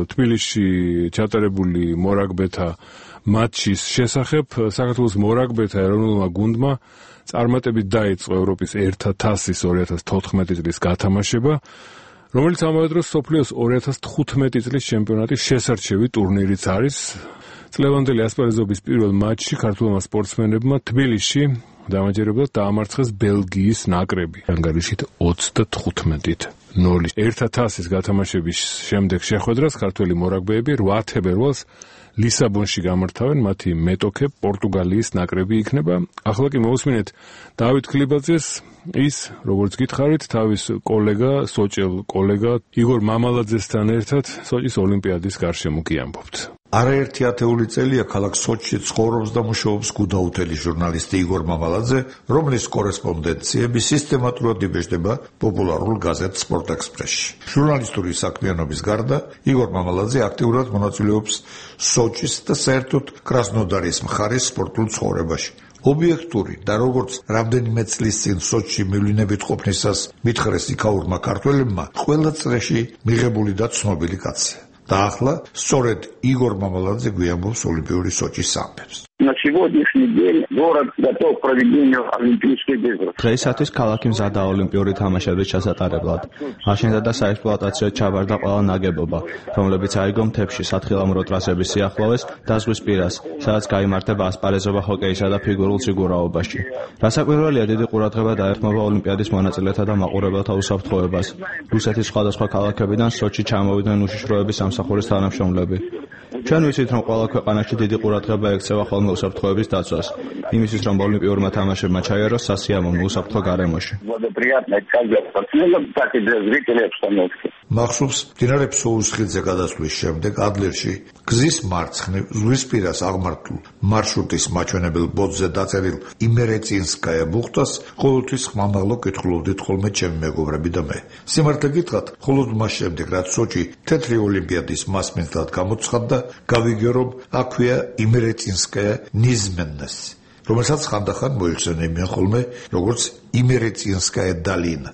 თბილისში ჩატარებული მორაგბეთა მატჩის შესახებ. საქართველოს მორაგბეთა ეროვნულმა გუნდმა წარმატებით დაიწყო ევროპის ერთა თასის ორი ათას თოთხმეტი წლის გათამაშება, რომელიც ამავე დროს მსოფლიოს ორი ათას თხუთმეტი წლის ჩემპიონატის შესარჩევი ტურნირიც არის. წლევანდელი ასპარეზობის პირველ მატჩში ქართულმა სპორტსმენებმა თბილისში დამაჯერებლად დაამარცხეს ბელგიის ნაკრები ანგარიშით ოცდათხუთმეტით ნული. ერთა თასის გათამაშების შემდეგ შეხვედრას ქართველი მორაგბეები რვა თებერვალს ლისაბონში გამართავენ, მათი მეტოქე პორტუგალიის ნაკრები იქნება. ახლა კი მოусმინეთ დავით ქლიბაძეს, ის, როგორც გითხარით, თავის კოლეგა, სოჭელ კოლეგა იგორ მამალაძესთან ერთად სოჭის ოლიმპიადის გარშემო კი ამბობთ. არაერთი ათეული წელია ქალაქ სოჩში ცხოვრობს და მუშაობს გუდაუთელი ჟურნალისტი იგორ მამალაძე, რომლის კორესპონდენციები სისტემატურად იბეჭდება პოპულარულ გაზეთ სპორტ ექსპრესში. ჟურნალისტური საქმიანობის გარდა იგორ მამალაძე აქტიურად მონაწილეობს სოჩის და საერთოდ კრასნოდარის მხარის სპორტულ ცხოვრებაში. ობიექტური და როგორც რამდენიმე წლის წინ სოჩში მივლინებით ყოფნისას მითხრეს იქაურმა ქართველებმა, ყველა წრეში მიღებული და ცნობილი კაცია. და ახლა სწორედ იგორ მამალაძე გვიამბობს ოლიმპიური სოჩის ამბებს. На сегодняшний день город готов к проведению Олимпийских игр. დღეისათვის ქალაქი მზადაა ოლიმპიური თამაშების ჩასატარებლად. აშენდა და საექსპლუატაციოდ ჩაბარდა ყველა ნაგებობა, რომლებიც აიგო მთებში სათხილამურო ტრასების სიახლოვეს და ზღვის პირას, სადაც გაიმართება ასპარეზობა ჰოკეისა და ფიგურულ სიგურაობაში. რასაკვირველია, დიდი ყურადღება დაეთმობა ოლიმპიადის მონაწილეთა და მაყურებელთა უსაფრთხოებას. რუსეთის სხვადასხვა ქალაქებიდან სოჩში ჩამოვიდნენ უშიშროების სამსახურის თანამშრომლები. ჩვენ ვიცით, რომ ყველა ქვეყანაში დიდი ყურადღება ექცევა ხოლმე უსაფრთხოების დაცვას, იმისთვის, რომ ოლიმპიურმა თამაშებმა ჩაიაროს სასიამოვნო უსაფრთხო გარემოში. მახსოვს, მდინარე ფსოუსხიძე გადასვლის შემდეგ ადლერში გზის მარცხნივ ზღვისპირას აღმართულ მარშრუტის მაჩვენებელ ბოძზე დაწერილ იმერეწინსკაია ბუხტას ყოველთვის ხმამაღლა კითხულობდით ხოლმე ჩემი მეგობრები და მე. სიმართლე გითხრათ, მხოლოდ მას შემდეგ, რაც სოჩი თეთრი ოლიმპიადის მასპინძლად გამოცხადდა, გავიგე, რომ აქვეა იმერეწინსკაია ნიზმენნესი, რომელსაც ხანდახან მოიხსენებიან ხოლმე როგორც იმერეწინსკაია დალინა.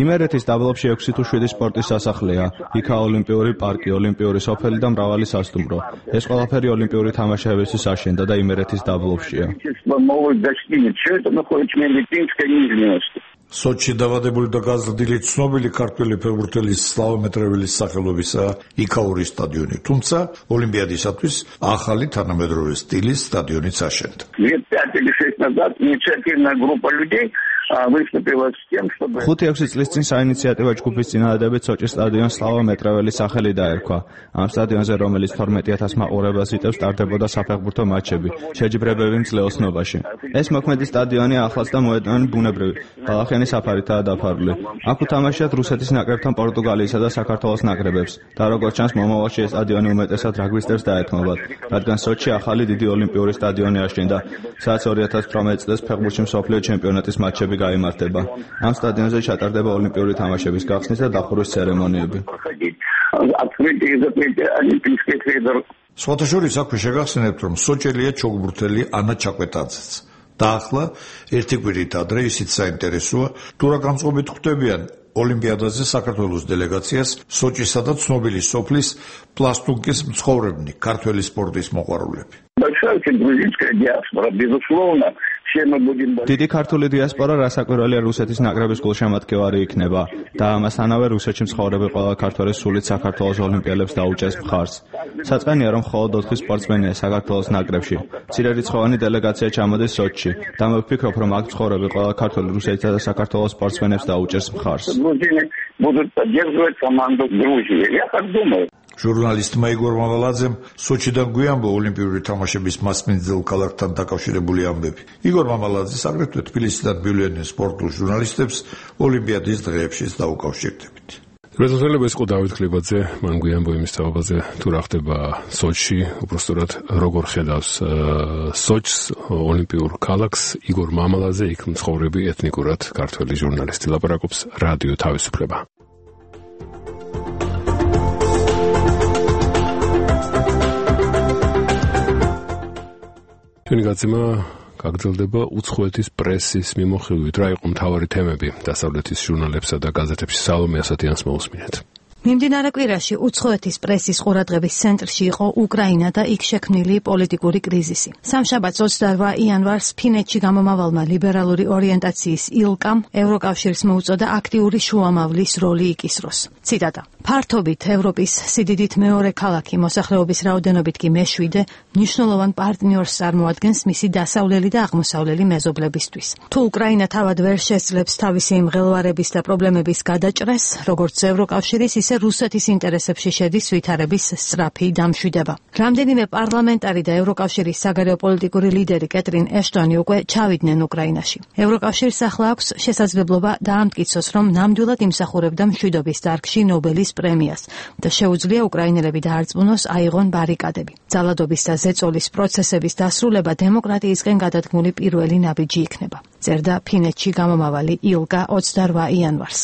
იმერეთის დაბლობში ექვსი თუ შვიდი სპორტის სასახლეა, იქა ოლიმპიური პარკი, ოლიმპიური სოფელი და მრავალი სასტუმრო. ეს ყველაფერი ოლიმპიური თამაშებისთვის აშენდა და იმერეთის დაბლობშია. სოჩში დავადებული და გაზრდილი ცნობილი ქართველი ფეხბურთელის სლავა მეტრეველის სახელობისა იქაური სტადიონი, თუმცა ოლიმპიადისათვის ახალი თანამედროვე სტილის სტადიონიც აშენდა. ხუთი ექვსი წლის წინ საინიციატივო ჯგუფის წინადადებით სოჭის სტადიონს სლავა მეტრეველის სახელი დაერქვა. ამ სტადიონზე, რომელიც თორმეტი ათას მაყურებელს იტევს, ტარდებოდა საფეხბურთო მატჩები, შეჯიბრებები მძლეოსნობაში. ეს მოქმედი სტადიონი ახლაც და მოედანი ბუნებრივი, ბალახიანი საფარითაა დაფარული. აქ უთამაშიათ რუსეთის ნაკრებთან პორტუგალიისა და საქართველოს ნაკრებებს და როგორც ჩანს, მომავალში ეს სტადიონი უმეტესად რაგბისტებს დაეთმობათ, რადგან სოჩში ახალი დიდი ოლიმპიური სტადიონი აშენდა, სადაც ორი ათას თვრამეტი წლის ფეხბურთში მსოფლიო ჩემპიონატის მატჩები გაიმართება. ამ სტადიონზე ჩატარდება ოლიმპიური თამაშების გახსნის და დახურვის ცერემონიები. სხვათა შორის აქვე შეგახსენებთ, რომ სოჭელია ჩოგბურთელი ანა ჩაკვეტაძეც. და ახლა ერთი კვირით ადრე ისიც საინტერესოა, თუ რა განწყობით ხვდებიან ოლიმპიადაზე საქართველოს დელეგაციას სოჭისა და ცნობილი სოფლის პლასტუნკის მცხოვრებნი, ქართველი სპორტის მოყვარულები. Большая очень грузинская диаспора, безусловно, დიდი ქართული დიასპორა რასაკვირველია რუსეთის ნაკრების გულშემატკივარი იქნება და ამასთანავე რუსეთში მცხოვრები ყველა ქართველი სულით საქართველოს ოლიმპიელებს დაუჭერს მხარს. საწყენია რომ მხოლოდ ოთხი სპორტსმენია საქართველოს ნაკრებში. მცირერიცხოვანი დელეგაცია ჩამოდის სოჩში და მე ვფიქრობ რომ აქ მცხოვრები ყველა ქართველი რუსეთისა და საქართველოს სპორტსმენებს დაუჭერს მხარს. ჟურნალისტმა იგორ მამალაძემ სოჩიდან გვიანბო ოლიმპიური თამაშების მასპინძელ ქალაქთან დაკავშირებული ამბები. იგორ მამალაძეს აგრეთვე თბილისიდან მივლენენ სპორტულ ჟურნალისტებს ოლიმპიადის დღეებშიც დაუკავშირდებით. რეზოლუცია ეს ყო დავით ხლებაძე მან გვიანბო იმის თაობაზე თუ რა ხდება სოჩში, უბრალოდ როგორ ხედავს სოჩს ოლიმპიურ ქალაქს იგორ მამალაძე იქ მცხოვრები ეთნიკურად ქართველი ჟურნალისტი ლაპარაკობს რადიო თავისუფლება. ჩვენი გაცემა გაგრძელდება უცხოეთის პრესის მიმოხილვით. რა იყო მთავარი თემები დასავლეთის ჟურნალებსა და გაზეთებში? სალომე ასათიანს მოусმინეთ. მიმდინარე კვირაში უცხოეთის პრესის ყურადღების ცენტრში იყო უკრაინა და იქ შექმნილი პოლიტიკური კრიზისი. სამშაბათს ოცდაორ იანვარს ფინეთში გამომავალმა ლიბერალური ორიენტაციის ილკამ ევროკავშირს მოუწოდა აქტიური შუამავლის როლი იკისროს. ციტატა: ფართობით ევროპის სიდიდით მეორე ქალაქი, მოსახლეობის რაოდენობით კი მეშვიდე, მნიშვნელოვან პარტნიორს წარმოადგენს მისი დასავლელი და აღმოსავლელი მეზობლებისთვის. თუ უკრაინა თავად ვერ შესძლებს თავისი მღელვარების და პრობლემების გადაჭრას, როგორც ევროკავშირის, ისე რუსეთის ინტერესებში შედის ვითარების სწრაფი დამშვიდება. რამდენიმე პარლამენტარი და ევროკავშირის საგარეო პოლიტიკური ლიდერი კეტრინ ეშტონი უკვე ჩავიდნენ უკრაინაში. ევროკავშირს ახლა აქვს შესაძლებლობა დაამტკიცოს, რომ ნამდვილად იმსახურებდა მშვიდობის დარგში ნობელის პრემიას და შეუძლია უკრაინელები დაარწმუნოს აიღონ ბარიკადები. ძალადობის და ზეწოლის პროცესების დასრულება დემოკრატიისკენ გადადგმული პირველი ნაბიჯი იქნება. წერდა ფინეთში გამომავალი ილკა ოცდაორ იანვარს.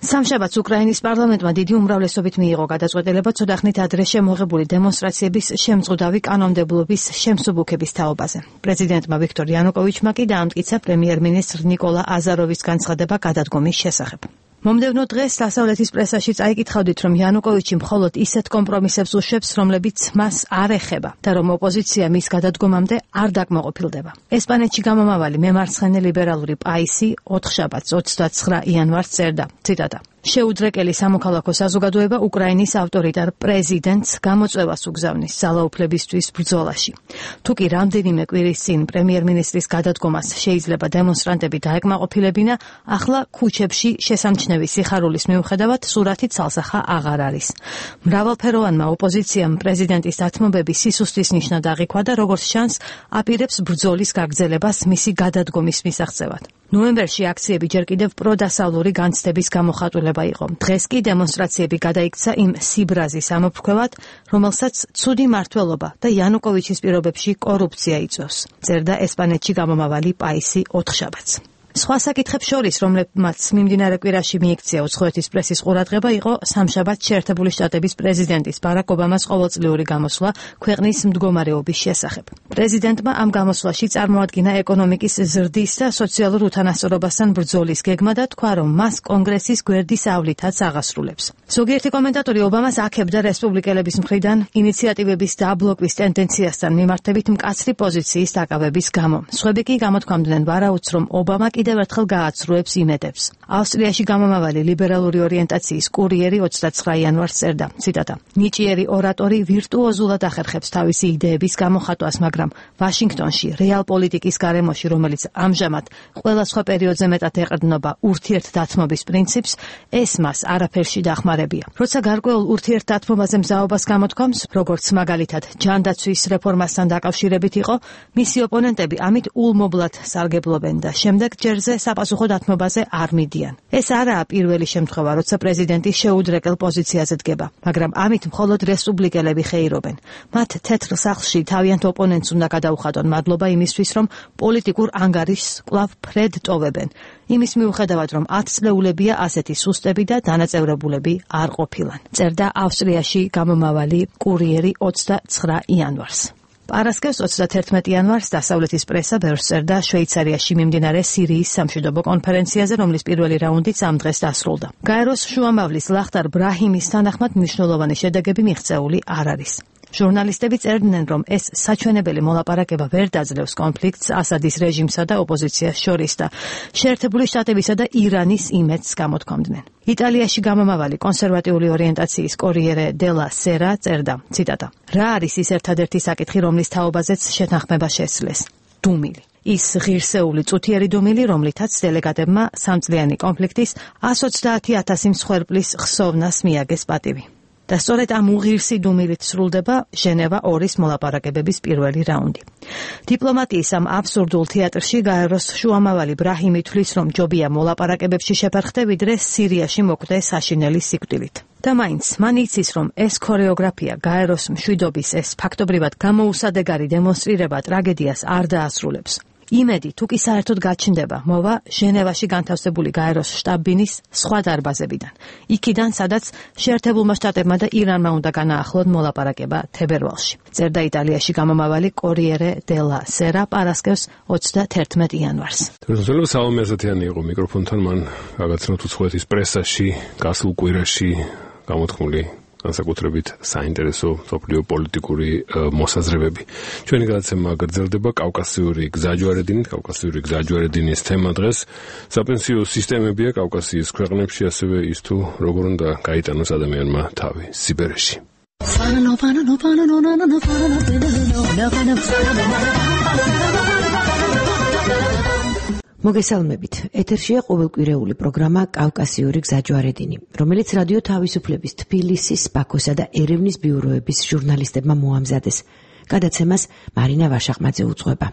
სამშაბათს უკრაინის პარლამენტმა დიდი უმრავლესობით მიიღო გადაწყვეტილება ცოტახნით ადრე შემოღებული დემონსტრაციების შემწყუდავი კანონმდებლობის შემსუბუქების თაობაზე. პრეზიდენტმა ვიქტორ იანუკოვიჩმა კი დაამტკიცა პრემიერ-მინისტრ ნიკოლა აზაროვის განცხადება გადადგომის შესახებ. მომდევნო დღეს დასავლეთის პრესაში წაიკითხავდით, რომ იანუკოვიჩი მხოლოდ ისეთ კომპრომისებს უშვებს, რომლებიც მას არ ეხება და რომ ოპოზიცია მის გადადგომამდე არ დაკმაყოფილდება. ესპანეთში გამომავალი მემარცხენე ლიბერალური პაისი ოთხშაბათს ოცდაცხრა იანვარს წერდა, ციტატა: შეუდრეკელი სამოქალაქო საზოგადოება უკრაინის ავტორიტარ პრეზიდენტს გამოწვევას უგზავნის ძალაუფლებისთვის ბრძოლაში. თუ კი რამდენიმე კვირის წინ პრემიერ-მინისტრის გადადგომას შეიძლება დემონსტრანტები დაეკმაყოფილებინა, ახლა ქუჩებში შესამჩნევი სიხარულის მიუხედავად სურათი ცალსახა აღარ არის. მრავალფეროვანმა ოპოზიციამ პრეზიდენტის დათმობები სისუსტის ნიშნად აღიქვა და როგორც ჩანს, აპირებს ბრძოლის გაგრძელებას მისი გადადგომის მისაღწევად. ნოემბერში აქციები ჯერ კიდევ პროდასავლური განცდების გამოხატულება იყო. დღეს კი დემონსტრაციები გადაიქცა იმ სიბრაზის ამოფრქვევად, რომელსაც ცუდი მმართველობა და იანუკოვიჩის პირობებში კორუფცია იწვევს. წერდა ესპანეთში გამომავალი პაისი ოთხშაბათს. სხვა საკითხებს შორის, რომლებმაც მიმდინარე კვირაში მიიქცია უცხოეთის პრესის ყურადღება, იყო სამშაბათს შეერთებული შტატების პრეზიდენტის ბარაკ ობამას ყოველწლიური გამოსვლა ქვეყნის მდგომარეობის შესახებ. პრეზიდენტმა ამ გამოსვლაში წარმოადგინა ეკონომიკის ზრდის და სოციალურ უთანასწორობასთან ბრძოლის გეგმა და თქვა, რომ მას კონგრესის გვერდის ავლითაც აღასრულებს. ზოგიერთი კომენტატორი ობამას აქებდა რესპუბლიკელების მხრიდან ინიციატივების დაბლოკვის ტენდენციასთან მიმართებით მკაცრი პოზიციის დაკავების გამო. სხვები კი გამოთქვამდნენ ვარაუდს, რომ ობამა კიდევ ერთხელ გააცრუებს იმედებს. ავსტრიაში გამომავალი ლიბერალური ორიენტაციის კურიერი ოცდაცხრა იანვარს წერდა, ციტატა: ნიჭიერი ორატორი ვირტუოზულად ახერხებს თავისი იდეების გამოხატვას, მაგრამ ვაშინგტონში რეალ პოლიტიკის გარემოში, რომელიც ამჟამად ყველა სხვა პერიოდზე მეტად ეყრდნობა ურთიერთდათმობის პრინციპს, ეს მას არაფერში დახმარებია. როცა გარკვეულ ურთიერთდათმობაზე მზაობას გამოთქვამს, როგორც მაგალითად ჯანდაცვის რეფორმასთან დაკავშირებით იყო, მისი ოპონენტები ამით ულმობლად სარგებლობენ და შემდეგ ჯერზე საპასუხო დათმობაზე არ მიდიან. ეს არაა პირველი შემთხვევა, როცა პრეზიდენტი შეუდრეკელ პოზიციაზე დგება, მაგრამ ამით მხოლოდ რესპუბლიკელები ხეირობენ. მათ თეთრ სახლში თავიანთ ოპონენტს უნდა გადაუხადონ მადლობა იმისთვის, რომ პოლიტიკურ ანგარიშს კვლავ ფრედ ტოვებენ. იმის მიუხედავად, რომ ათწლეულებია ასეთი სუსტები და დანაწევრებულები არ ყოფილან. წერდა ავსტრიაში გამომავალი კურიერი ოცდაცხრა იანვარს. პარასკევს ოცდათერთმეტი იანვარს დასავლეთის პრესა ბევრს წერდა შვეიცარიაში მიმდინარე სირიის სამშვიდობო კონფერენციაზე, რომლის პირველი რაუნდიც ამ დღეს დასრულდა. გაეროს შუამავლის ლახტარ ბრაჰიმის თანახმად მნიშვნელოვანი შედეგები მიღწეული არ არის. ჟურნალისტები წერდნენ, რომ ეს საჩვენებელი მოლაპარაკება ვერ დაძლევს კონფლიქტს ასადის რეჟიმსა და ოპოზიციას შორის და შეერთებული შტატებისა და ირანის იმედს გამოთქვამდნენ. იტალიაში გამომავალი კონსერვატიული ორიენტაციის კორიერე დელა სერა წერდა, ციტატა: რა არის ის ერთადერთი საკითხი, რომლის თაობაზეც შეთანხმება შესძლეს? დუმილი. ის ღირსეული წუთიერი დუმილი, რომლითაც დელეგატებმა სამწლიანი კონფლიქტის εκατს ოცდაათი ათასი მსხვერპლის ხსოვნას მიაგეს პატივი. და სწორედ ამ უღირსი დუმილით სრულდება ჟენევა ორის მოლაპარაკებების პირველი რაუნდი. დიპლომატიის ამ აბსურდულ თეატრში გაეროს შუამავალი ბრაჰიმი თვლის, რომ ჯობია მოლაპარაკებებში შეფერხდე, ვიდრე სირიაში მოკვდე საშინელი სიკვდილით. და მაინც მან იცის, რომ ეს ქორეოგრაფია გაეროს მშვიდობის ეს ფაქტობრივად გამოუსადეგარი დემონსტრირება ტრაგედიას არ დაასრულებს. იმედი თუ კი საერთოდ გაჩნდება, მოვა ჟენევაში განთავსებული გაეროს შტაბ-ბინის სხვა დარბაზებიდან. იქიდან, სადაც შეერთებულმა შტატებმა და ირანმა უნდა განაახლონ მოლაპარაკება თებერვალში. წერდა იტალიაში გამომავალი კორიერე დელა სერა პარასკევს ოცდათერთმეტ იანვარს. თორემ სალომე ასათიანი იყო მიკროფონთან, მან გაგაცნოთ უცხოეთის პრესაში გასულ კვირაში გამოთქმული განსაკუთრებით საინტერესო სოფლიო პოლიტიკური მოსაზრებები. ჩვენი გადაცემა გრძელდება კავკასიური გზაჯვარედინით, კავკასიური გზაჯვარედინის თემა დღეს საპენსიო სისტემებია კავკასიის ქვეყნებში, ასევე ის თუ როგორ უნდა გაიტანოს ადამიანმა თავი სიბერეში. მოგესალმებით. ეთერშია ყოველკვირეული პროგრამა კავკასიური გზაჯვარედინი, რომელიც რადიო თავისუფლების თბილისის, ბაქოსა და ერევნის ბიუროების ჟურნალისტებმა მოამზადეს. გადაცემას მარინა ვაშაყმაძე უძღვება.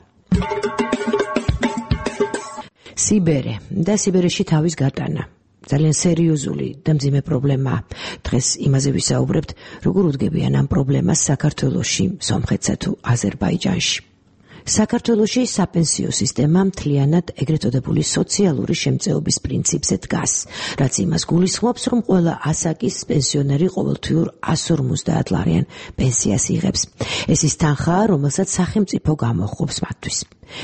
სიბერე და სიბერეში თავის გატანა. ძალიან სერიოზული და მძიმე პრობლემაა. დღეს იმაზე ვისაუბრებთ, როგორ უდგებიან ამ პრობლემას საქართველოში, სომხეთსა თუ აზერბაიჯანში. საქართველოში საპენსიო სისტემა მთლიანად ეგრეთ წოდებული სოციალური შემწეობის პრინციპზე დგას, რაც იმას გულისხმობს, რომ ყველა ასაკის პენსიონერი ყოველთვიურ εκατს ორმოცდაათ ლარიან პენსიას იღებს. ეს ის თანხაა, რომელსაც სახელმწიფო გამოჰყოფს მათთვის.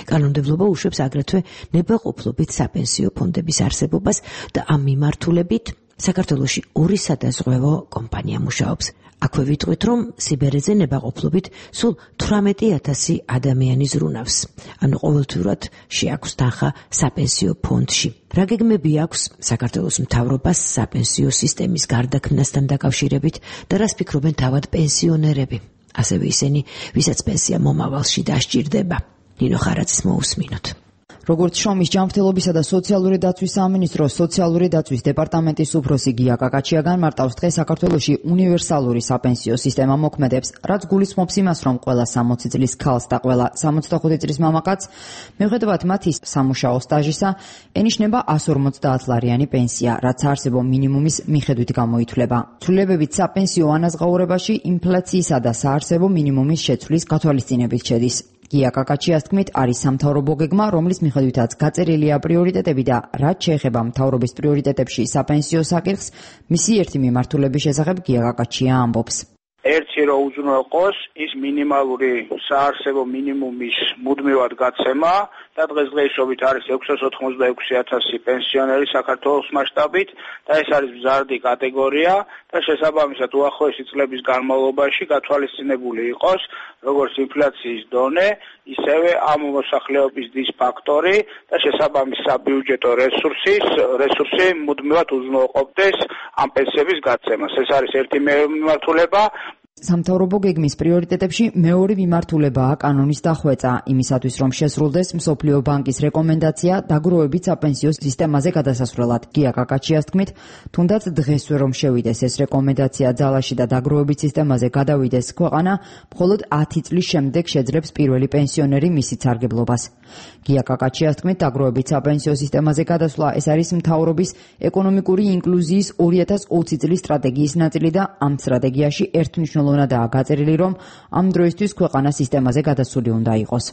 კანონმდებლობა უშვებს აგრეთვე ნებაყოფლობით საპენსიო ფონდების არსებობას და ამ მიმართულებით საქართველოში ორი სადაზღვევო კომპანია მუშაობს. აქვე ვიტყვით, რომ სიბერეზე ნებაყოფლობით სულ თვრამეტი ათასი ადამიანი ზრუნავს. ანუ ყოველთვიურად შეაქვს თანხა საპენსიო ფონდში. რა გეგმები აქვს საქართველოს მთავრობას საპენსიო სისტემის გარდაქმნასთან დაკავშირებით და რას ფიქრობენ თავად პენსიონერები? ასევე ისინი, ვისაც პენსია მომავალში დასჭირდება. ნინო ხარაძის მოусმინოთ. როგორც შრომის ჯანმრთელობისა და სოციალური დაცვის სამინისტროს სოციალური დაცვის დეპარტამენტის უფროსი გია კაკაჩია განმარტავს, დღეს საქართველოში უნივერსალური საპენსიო სისტემა მოქმედებს, რაც გულისხმობს იმას, რომ ყველა სამოცი წლის ქალს და ყველა სამოცდახუთი წლის მამაკაცს, მიუხედავად მათი სამუშაო სტაჟისა, ენიშნება εκατს ორმოცდაათ ლარიანი პენსია, რაც საარსებო მინიმუმის მიხედვით გამოითვლება. ცვლილებებით საპენსიო ანაზღაურებაში ინფლაციისა და საარსებო მინიმუმის შეცვლის გათვალისწინებით შედის. გია კაკაჩიას თქმით, არის სამთავრობო გეგმა, რომლის მიხედვითაც გაწერილია პრიორიტეტები და რაც შეეხება მთავრობის პრიორიტეტებში საპენსიო საკითხს, მისი ერთი მიმართულების შესახებ გია კაკაჩია ამბობს. ერთი რო უზრუნველყოს ის მინიმალური საარსებო მინიმუმის მუდმივად გაცემა და დღესდღეობით არის ექვსას ოთხმოცდაექვსი ათასი პენსიონერი საქართველოს მასშტაბით და ეს არის მზარდი კატეგორია და შესაბამისად უახლოესი წლების განმავლობაში გათვალისწინებული იყოს როგორც ინფლაციის დონე, ისევე ამ მოსახლეობის დის ფაქტორი და შესაბამის საბიუჯეტო რესურსის რესურსი მუდმივად უზრუნველყოფდეს ამ პენსიების გაცემას. ეს არის ერთი მიმართულება. სამთავრობო გეგმის პრიორიტეტებში მეორე მიმართულებაა კანონის დახვეწა, იმისათვის რომ შესრულდეს მსოფლიო ბანკის რეკომენდაცია დაგროვებით საპენსიო სისტემაზე გადასასვლელად. გია კაკაჩიას თქმით, თუნდაც დღესვე რომ შევიდეს ეს რეკომენდაცია ძალაში და დაგროვებით სისტემაზე გადავიდეს ქვეყანა, მხოლოდ ათი წლის შემდეგ შეძლებს პირველი პენსიონერი მისი სარგებლობას. გია კაკაჩიას თქმით, დაგროვებით საპენსიო სისტემაზე გადასვლა ეს არის მთავრობის ეკონომიკური ინკლუზიის ორი ათას ოცი წლის სტრატეგიის ნაწილი და ამ სტრატეგიაში ერთმნიშვნელოვნადაა გაწერილი, რომ ამ დროისთვის ქვეყანა სისტემაზე გადასული უნდა იყოს.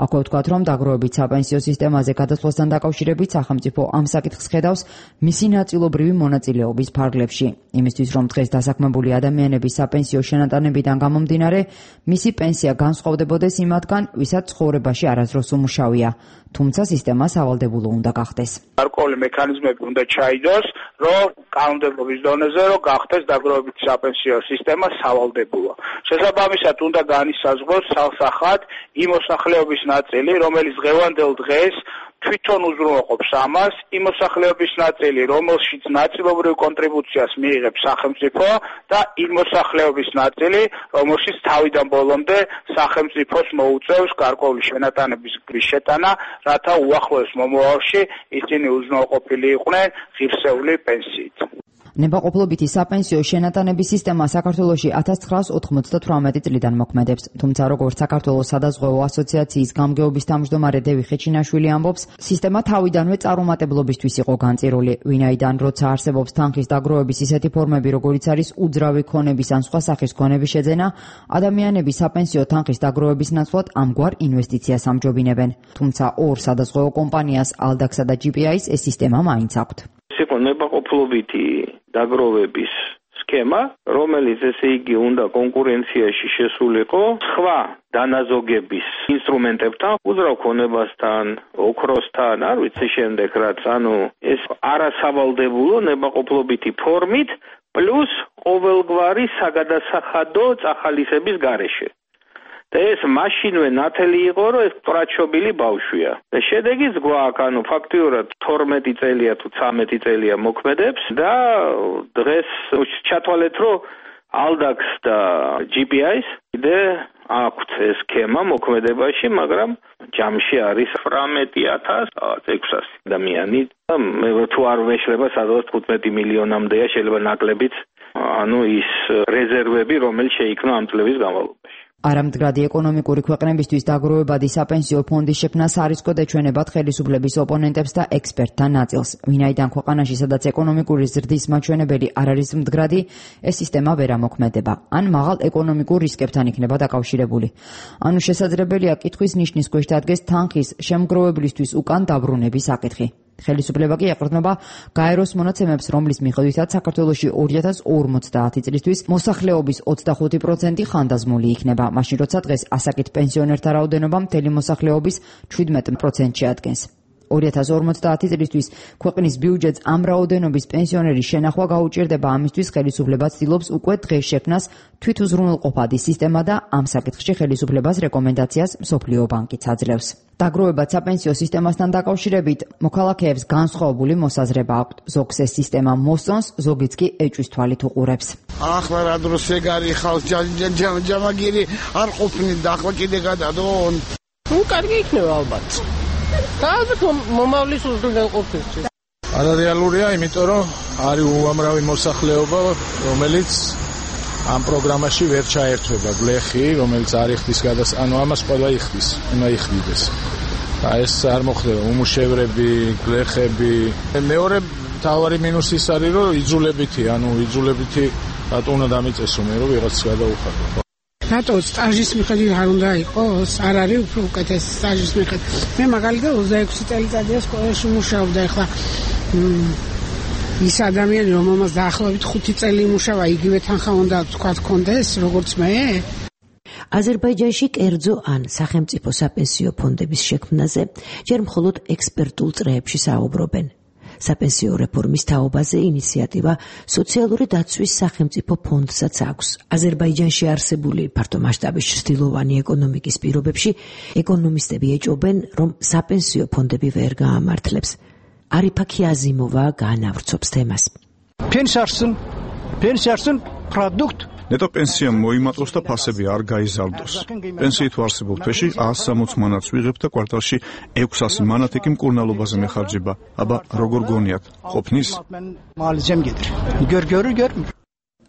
აქვე ვთქვათ, რომ დაგროვებით საპენსიო სისტემაზე გადასვლასთან დაკავშირებით სახელმწიფო ამ საკითხს ხედავს მისი ნაწილობრივი მონაწილეობის ფარგლებში. იმისთვის, რომ დღეს დასაქმებული ადამიანების საპენსიო შენატანებიდან გამომდინარე, მისი პენსია განსხვავდებოდეს იმათგან, ვისაც ცხოვრებაში არასდროს უმუშავია. თუმცა სისტემა სავალდებულო უნდა გახდეს. გარკვეული მექანიზმები უნდა ჩაიდოს, რომ კანონმდებლობის დონეზე რომ გახდეს დაგროვებითი საპენსიო სისტემა სავალდებულო. სავალდებულო. შესაბამისად უნდა განისაზღვროს სალსახად იმ მოსახლეობის ნაწილი, რომელიც დღევანდელ დღეს თვითონ უზრუნველყოფს ამას, იმ მოსახლეობის ნაწილი, რომელშიც ნაწილობრივ კონტრიბუციას მიიღებს სახელმწიფო და იმ მოსახლეობის ნაწილი, რომელშიც თავიდან ბოლომდე სახელმწიფოს მოუწევს გარკვეული შენატანების შეტანა, რათა უახლოეს მომავალში ისინი უზრუნველყოფილი იყვნენ ღირსეული პენსიით. ნებაყოფლობითი საპენსიო შენატანების სისტემა საქართველოში ათას ცხრაას ოთხმოცდათვრამეტი წლიდან მოქმედებს, თუმცა როგორც საქართველოს სადაზღვევო ასოციაციის გამგეობის თავმჯდომარე დევი ხეჩინაშვილი ამბობს, სისტემა თავიდანვე წარუმატებლობისთვის იყო განწირული, ვინაიდან როცა არსებობს თანხის დაგროვების ისეთი ფორმები, როგორიც არის უძრავი ქონების ან სხვა სახის ქონების შეძენა, ადამიანები საპენსიო თანხის დაგროვების ნაცვლად ამგვარ ინვესტიციას ამჯობინებენ. თუმცა ორ სადაზღვევო კომპანიას, ალდაქსა და ჯი პი აის ეს სისტემა მაინც აქვთ. იყო ნებაყოფლობითი დაგროვების სქემა, რომელიც ესე იგი უნდა კონკურენციაში შესულიყო სხვა დანაზოგების ინსტრუმენტებთან, უძრავ ქონებასთან, ოქროსთან, არ ვიცი შემდეგ რაც, ანუ ეს არასავალდებულო ნებაყოფლობითი ფორმით, პლუს ყოველგვარი საგადასახადო წახალისების გარეშე. და ეს მაშინვე ნათელი იყო, რომ ეს პრაჩობილი ბავშვია. და შედეგიც გვაქვს, ანუ ფაქტიურად თორმეტი წელია თუ ცამეტი წელია მოქმედებს და დღეს ჩათვალეთ, რომ ალდაქს და ჯი პი აის კიდე აქვთ ეს სქემა მოქმედებაში, მაგრამ ჯამში არის ცხრამეტი ათას ექვსასი ადამიანი და მე თუ არ ვეშლება სადღაც თხუთმეტი მილიონამდეა შეიძლება ნაკლებიც, ანუ ის რეზერვები, რომელიც შეიქმნა ამ წლების განმავლობაში. არამდგრადი ეკონომიკური ქვეყნებისთვის დაგროვებადი საპენსიო ფონდის შექმნას არისკო დეჩვენებათ ხელისუფლების ოპონენტებს და ექსპერტთა ნაწილს. ვინაიდან ქვეყანაში, სადაც ეკონომიკური ზრდის მაჩვენებელი არ არის მდგრადი, ეს სისტემა ვერ ამოქმედება, ან მაღალ ეკონომიკურ რისკებთან იქნება დაკავშირებული. ანუ შესაძლებელია კითხვის ნიშნის ქვეშ დადგეს თანხის შემგროვებლისთვის უკან დაბრუნების საკითხი. ხელისუფლება კი ეყრდნობა გაეროს მონაცემებს, რომლის მიხედვითაც საქართველოში ორი ათას ორმოცდაათი წლისთვის მოსახლეობის ოცდახუთი პროცენტი ხანდაზმული იქნება, მაშინ როცა დღეს ასაკით პენსიონერთა რაოდენობა მთელი მოსახლეობის შვიდმეტ პროცენტს შეადგენს. ორი ათას ორმოცდაათი წლისთვის ქვეყნის ბიუჯეტს ამ რაოდენობის პენსიონერის შენახვა გაუჭირდება, ამისთვის ხელისუფლება ცდილობს უკვე დღეს შექმნას თვითუზრუნველყოფადი სისტემა და ამ საკითხში ხელისუფლებას რეკომენდაციას მსოფლიო ბანკიც აძლევს. დაგროვებად საპენსიო სისტემასთან დაკავშირებით მოქალაქეებს განსხვავებული მოსაზრება აქვთ. ზოგს ეს სისტემა მოსწონს, ზოგიც კი ეჭვის თვალით უყურებს. ახლა რა დროს ეგარი ხალხ ჯამაგირი არ ყოფნით და ახლა კიდე გადადონ. ნუ კარგი იქნება ალბათ. და ალბათ მომავლის უზრუნველყოფისთვის. არარეალურია, იმიტომ რომ არის უამრავი მოსახლეობა, რომელიც ამ პროგრამაში ვერ ჩაერთვება. გლეხი, რომელიც არ იხდის გადას, ანუ ამას ყველა იხდის, უნდა იხდიდეს. და ეს არ მოხდება, უმუშევრები, გლეხები. მეორე თავარი მინუსი ის არის, რომ იძულებითი, ანუ იძულებითი რატო უნდა დამიწესო მე, რომ ვიღაც გადაუხადო. რატო სტაჟის მიხედვით არ უნდა იყოს? არ არის უფრო უკეთესი სტაჟის მიხედვით. მე მაგალითად ოცდაექვსი წელიწადია სკოლაში მუშაობდა, ახლა ის ადამიანი, რომელმაც დაახლოებით ხუთი წელი იმუშავა, იგივე თანხა უნდა თქვა კონდეს, როგორც მე? აზერბაიჯანში კერძო ან სახელმწიფო საპენსიო ფონდების შექმნაზე ჯერ მხოლოდ ექსპერტულ წრეებში საუბრობენ. საპენსიო რეფორმის თაობაზე ინიციატივა სოციალური დაცვის სახელმწიფო ფონდსაც აქვს. აზერბაიჯანში არსებული ფართო მასშტაბის ჩრდილოვანი ეკონომიკის პირობებში ეკონომისტები ეჭობენ, რომ საპენსიო ფონდები ვერ გაამართლებს. არიფა ქიაზიმოვა გაანავრცობს თემას. Pensiyarsın, pensiyarsın produkt ნეტო პენსიამ მოიმატოს და ფასები არ გაიზარდოს. პენსიით ვარსებულ თვეში ას სამოც მანათს ვიღებ და კვარტალში ექვსასი მანათი კი მკურნალობაზე მეხარჯება. აბა როგორ გონიათ, ყოფნის? მალიზემ გედრ. გერ გერ გერ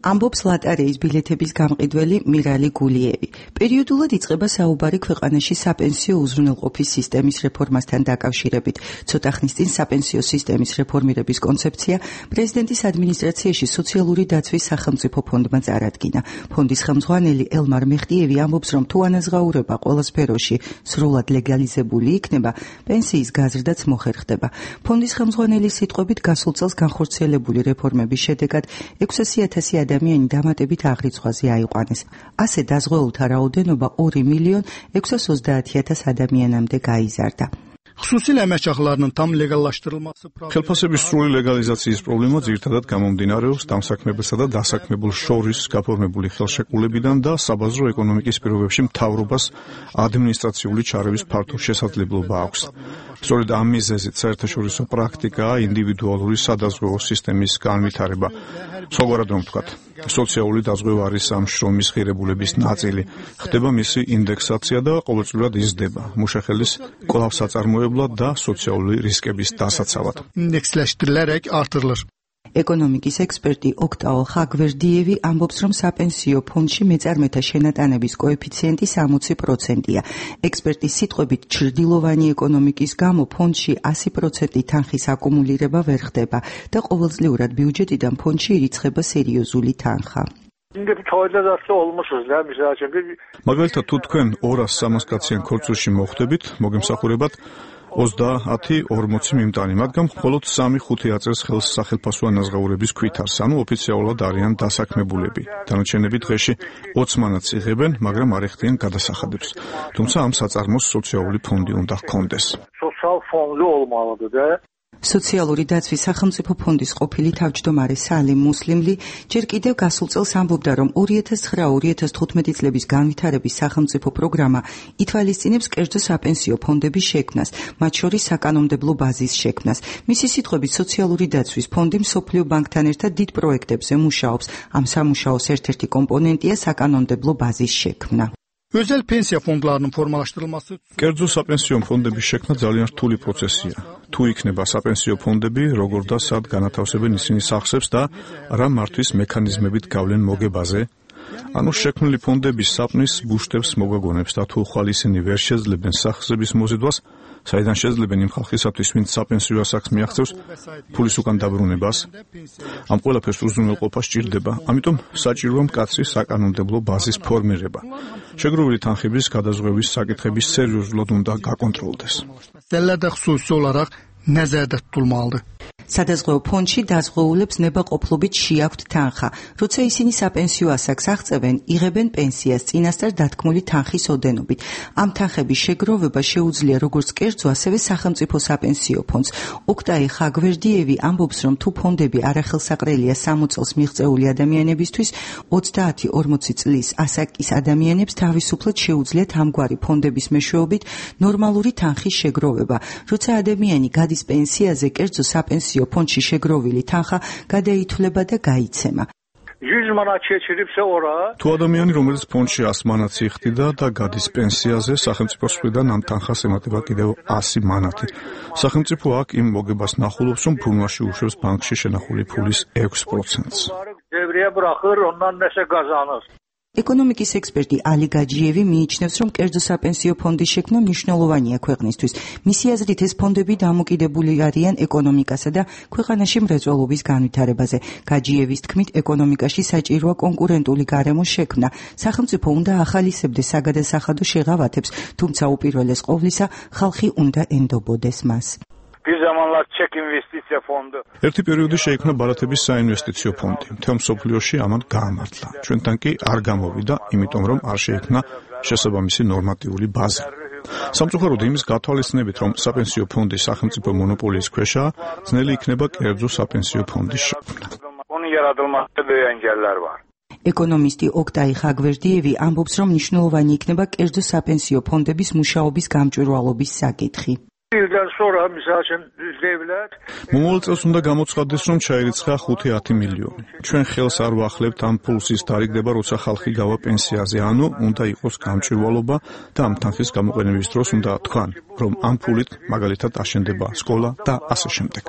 ამბობს ლატარეის ბილეთების გამყიდველი მირალი გულიევი. პერიოდულად იწყება საუბარი ქვეყანაში საპენსიო უზრუნველყოფის სისტემის რეფორმასთან დაკავშირებით. ცოტა ხნის წინ საპენსიო სისტემის რეფორმირების კონცეფცია პრეზიდენტის ადმინისტრაციაში სოციალური დაცვის სახელმწიფო ფონდმა წარადგინა. ფონდის ხელმძღვანელი ელმარ მეხტიევი ამბობს, რომ თუ ანაზღაურება ყველა სფეროში სრულად ლეგალიზებული იქნება, პენსიის გაზრდაც მოხერხდება. ფონდის ხელმძღვანელის სიტყვებით გასულ წელს განხორციელებული რეფორმების შედეგად ექვსასი ათასი ადამიანი დამატებით აღრიცხვაზე აიყვანეს. ასე დაზღვეულთა რაოდენობა ორი მილიონ ექვსასოცდაათი ათას ადამიანამდე გაიზარდა. Xüsusilə əmək haqlarının tam legallaşdırılması ხელფასების სრული ლეგალიზაციის პრობლემა ძირითადად გამომდინარეობს დამსაქმებელსა და დასაქმებულ შორის გაფორმებული ხელშეკრულებიდან და საბაზრო ეკონომიკის პირობებში მთავრობას ადმინისტრაციული ჩარევის ფართო შესაძლებლობა აქვს. სწორედ ამ მიზეზით საერთაშორისო პრაქტიკაა ინდივიდუალური სადაზღვევო სისტემის განვითარება. სხვაგვარად რომ ვთქვათ, სოციალური დაზღვევა არის ამ შრომის ღირებულების ნაწილი. ხდება მისი ინდექსაცია და ყოველწლიურად იზრდება მუშახელის კვლავ საწარმოებლად და სოციალური რისკების დასაცავად. ინდექსლაშტირილერek artırılır. ეკონომიკის ექსპერტი ოქტაო ხაგვერდიევი ამბობს, რომ საპენსიო ფონდში მეწარმეთა შენატანების კოეფიციენტი სამოცი პროცენტია. ექსპერტის სიტყვებით, ჩრდილოვანი ეკონომიკის გამო ფონდში ასი პროცენტი თანხის აკუმულირება ვერ ხდება და ყოველწლიურად ბიუჯეტიდან ფონდში ირიცხება სერიოზული თანხა. მაგალითად, თუ თქვენ ორას სამას კაციან ქორწილში მოხვდებით, მოგემსახურებათ ოცდაათი ორმოცი მიმტანი, მაგრამ მხოლოდ სამი ხუთი აწევს ხელს სახელფასო ანაზღაურების ქვითარს, ანუ ოფიციალურად არიან დასაქმებულები. დანარჩენები დღეში ოცი მანატს იღებენ, მაგრამ არ ეხდიან გადასახადებს. თუმცა ამ საწარმოს სოციალური ფონდი უნდა ჰქონდეს. სოციალური დაცვის სახელმწიფო ფონდის ყოფილი თავმჯდომარე სალიმ მუსლიმლი ჯერ კიდევ გასულ წელს ამბობდა, რომ ორი ათას ცხრა ორი ათას თხუთმეტი წლების განვითარების სახელმწიფო პროგრამა ითვალისწინებს კერძო საპენსიო ფონდების შექმნას, მათ შორის საკანონმდებლო ბაზის შექმნას. მისი სიტყვებით, სოციალური დაცვის ფონდი მსოფლიო ბანკთან ერთად დიდ პროექტებზე მუშაობს. ამ სამუშაოს ერთ-ერთი კომპონენტია საკანონმდებლო ბაზის შექმნა. Özel pensiya fondlarının formalaşdırılması კერძო საპენსიო ფონდების შექმნა ძალიან რთული პროცესია. თუ იქნება საპენსიო ფონდები, როგორ და სად განათავსებენ ისინი სახსებს და რა მართვის მექანიზმებით გავლენ მოგებაზე? ანუ შექმნილი ფონდების საპნის ბუშტებს მოგვაგონებს და თუ ხვალ ისინი ვერ შეძლებენ სახსების მოზიდვას, საიდან შეძლებენ იმ ხალხისათვის, ვინც საპენსიო ასაკს მიაღწევს ფულის უკან დაბრუნებას? ამ ყველაფერს უზრუნველყოფა სჭირდება, ამიტომ საჭიროა მკაცრი საკანონმდებლო ბაზის ფორმირება. შეგროვილი თანხების გადაზღვევის საკითხების სერიოზულად უნდა გაკონტროლდეს. Məsələlərdə xüsusi olaraq nəzərdə tutulmalıdır. სადაზღვევო ფონდში დაზღვეულებს ნებაყოფლობით შეაქვთ თანხა. როცა ისინი საპენსიო ასაკს აღწევენ, იღებენ პენსიას წინასწარ დათქმული თანხის ოდენობით. ამ თანხების შეგროვება შეუძლია როგორც კერძო, ასევე სახელმწიფო საპენსიო ფონდს. ოქტაი ხაგვერდიევი ამბობს, რომ თუ ფონდები არახელსაყრელია სამოც წელს მიღწეული ადამიანებისთვის, ოცდაათი ორმოცი წლის ასაკის ადამიანებს თავისუფლად შეუძლიათ ამგვარი ფონდების მეშვეობით ნორმალური თანხის შეგროვება. როცა ადამიანი გადის პენსიაზე, კერძო საპენსიო ფონდში შეგროვილი თანხა გადაითვლება და გაიცემა. თუ ადამიანი, რომელიც ფონდში ას მანატს იხდიდა და გადის პენსიაზე, სახელმწიფოს მხრიდან ამ თანხას ემატება კიდევ ასი მანატი. სახელმწიფო აქ იმ მოგებას ნახულობს, რომ ფულმაში უშვებს ბანკში შენახული ფულის ექვს პროცენტს. ეკონომიკის ექსპერტი ალი გაჯიევი მიიჩნევს, რომ კერძო საპენსიო ფონდის შექმნა მნიშვნელოვანია ქვეყნისთვის. მისი აზრით, ეს ფონდები დამოკიდებული არიან ეკონომიკასა და ქვეყანაში მრეწველობის განვითარებაზე. გაჯიევის თქმით, ეკონომიკაში საჭიროა კონკურენტული გარემოს შექმნა. სახელმწიფო უნდა ახალისებდეს საგადასახადო შეღავათებს, თუმცა უპირველეს ყოვლისა, ხალხი უნდა ენდობოდეს მას. ერთი პერიოდი შეიქმნა ბარათების საინვესტიციო ფონდი. მთელ მსოფლიოში ამან გაამართლა. ჩვენთან კი არ გამოვიდა, იმიტომ რომ არ შეიქმნა შესაბამისი ნორმატიული ბაზა. სამწუხაროდ იმის გათვალისწინებით, რომ საპენსიო ფონდი სახელმწიფო მონოპოლიის ქვეშაა, ძნელი იქნება კერძო საპენსიო ფონდის შექმნა. ეკონომისტი ოქტაი ხაგვერდიევი ამბობს, რომ მნიშვნელოვანი იქნება კერძო საპენსიო ფონდების მუშაობის გამჭვირვალობის საკითხი. მომავალ წელს უნდა გამოცხადდეს, რომ ჩაირიცხა ხუთი ათი მილიონი. ჩვენ ხელს არ ვახლებთ ამ ფულს ის თარიღდება, როცა ხალხი გავა პენსიაზე, ანუ უნდა იყოს გამჭვირვალობა და ამ თანხის გამოყენების დროს უნდა თქვან, რომ ამ ფულით მაგალითად აშენდება სკოლა და ასე შემდეგ.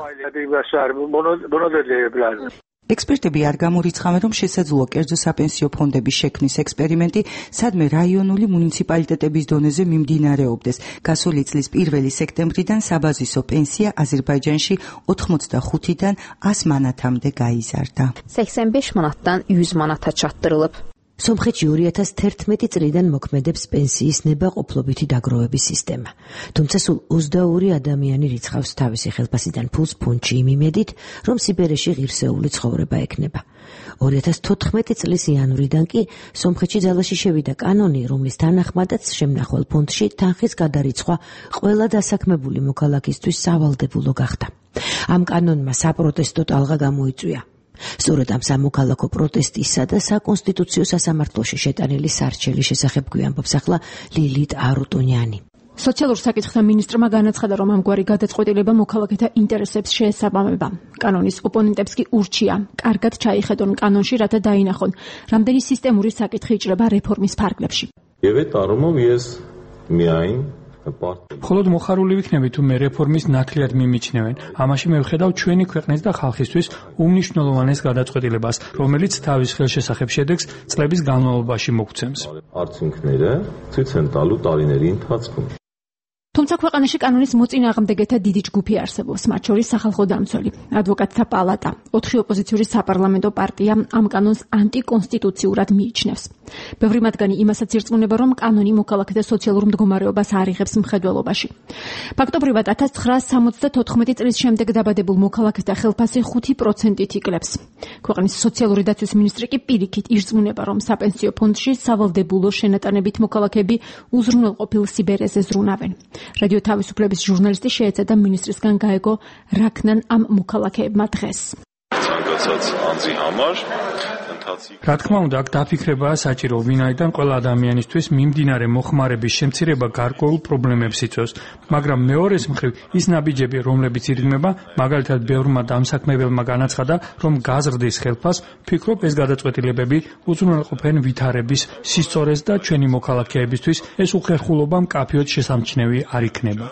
ექსპერტები არ გამორიცხავენ, რომ შესაძლოა კერძო საპენსიო ფონდების შექმნის ექსპერიმენტი სადმე რაიონული მუნიციპალიტეტების დონეზე მიმდინარეობდეს. გასული წლის პირველი სექტემბრიდან საბაზისო პენსია აზერბაიჯანში ოთხმოცდახუთიდან ას მანათამდე გაიზარდა. səksən beş manatdan yüz manata çatdırılıb. სომხეთში ორი ათას თერთმეტი წლიდან მოქმედებს პენსიის ნებაყოფლობითი დაგროვების სისტემა. თუმცა სულ ოცდაორი ადამიანი რიცხავს თავისი ხელფასიდან ფულს ფუნტში იმ იმედით, რომ სიბერეში ღირსეული ცხოვრება ექნება. ორი ათას თოთხმეტი წლის იანვრიდან კი სომხეთში ძალაში შევიდა კანონი, რომლის თანახმადაც შემნახვალ ფონდში თანხის გადარიცხვა ყველა დასაქმებული მოქალაქისთვის სავალდებულო გახდა. ამ კანონმა საპროტესტო ტალღა გამოიწვია. სწორედ ამ სამოქალაქო პროტესტისა და საკონსტიტუციო სასამართლოში შეტანილი სარჩელის შესახებ გვიამბობს ახლა ლილით არუტუნიანი. სოციალურ საკითხთა მინისტრმა განაცხადა, რომ ამგვარი გადაწყვეტილება მოქალაქეთა ინტერესებს შეესაბამება. კანონის ოპონენტებს კი ურჩია კარგად ჩაიხედონ კანონში, რათა დაინახონ, რამდენი სისტემური საკითხი იჭრება რეფორმის ფარგლებში. მხოლოდ მოხარული ვიქნები თუ მე რეფორმის ნათლიად მიმიჩნევენ. ამაში მე ვხედავ ჩვენი ქვეყნის და ხალხისთვის უმნიშვნელოვანეს გადაწყვეტილებას, რომელიც თავის ხელშესახებ შედეგს წლების განმავლობაში მოგცემს. თუმცა ქვეყანაში კანონის მოწინააღმდეგეთა დიდი ჯგუფი არსებობს, მათ შორის სახალხო დამცველი, ადვოკატთა პალატა, ოთხი ოპოზიციური საპარლამენტო პარტია ამ კანონს ანტიკონსტიტუციურად მიიჩნევს. ბევრი მათგანი იმასაც ირწმუნება, რომ კანონი მოქალაქეთა სოციალურ მდგომარეობას არ იღებს მხედველობაში. ფაქტობრივად ათას ცხრაასი სამოცდათოთხმეტი წლის შემდეგ დაბადებულ მოქალაქეთა ხელფასი ხუთი პროცენტით იკლებს. ქვეყნის სოციალური დაცვის მინისტრი კი პირიქით ირწმუნება, რომ საპენსიო ფონდში სავალდებულო შენატანებით მოქალაქეები უზრუნველყოფილ სიბერეზე ზრუნავენ. რადიო თავისუფლების ჟურნალისტი შეეცადა მინისტრისგან გაეგო რა ქნან ამ მოქალაქეებმა დღეს. რა თქმა უნდა, აქ დაფიქრებაა საჭირო, ვინაიდან ყველა ადამიანისთვის მიმდინარე მოხმარების შემცირება გარკვეულ პრობლემებს იწვევს, მაგრამ მეორეს მხრივ ის ნაბიჯები, რომლებიც ირგმება, მაგალითად ბევრმა დამსაქმებელმა განაცხადა, რომ გაზრდის ხელფას, ვფიქრობ, ეს გადაწყვეტილებები უზრუნველყოფენ ვითარების სისწორეს და ჩვენი მოქალაქეებისთვის ეს უხერხულობა მკაფიოდ შესამჩნევი არ იქნება.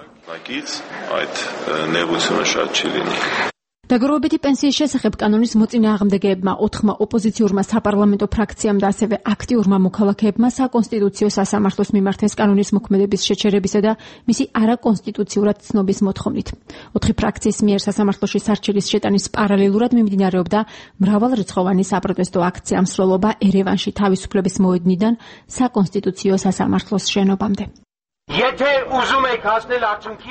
დაგროვებითი პენსიის შესახებ კანონის მოწინააღმდეგეებმა ოთხმა ოპოზიციურმა საპარლამენტო ფრაქციამ და ასევე აქტიურმა მოქალაქეებმა საკონსტიტუციო სასამართლოს მიმართეს კანონის მოქმედების შეჩერებისა და მისი არაკონსტიტუციურად ცნობის მოთხოვნით. ოთხი ფრაქციის მიერ სასამართლოში სარჩელის შეტანის პარალელურად მიმდინარეობდა მრავალრიცხოვანი საპროტესტო აქცია მსვლელობა ერევანში თავისუფლების მოედნიდან საკონსტიტუციო სასამართლოს შენობამდე.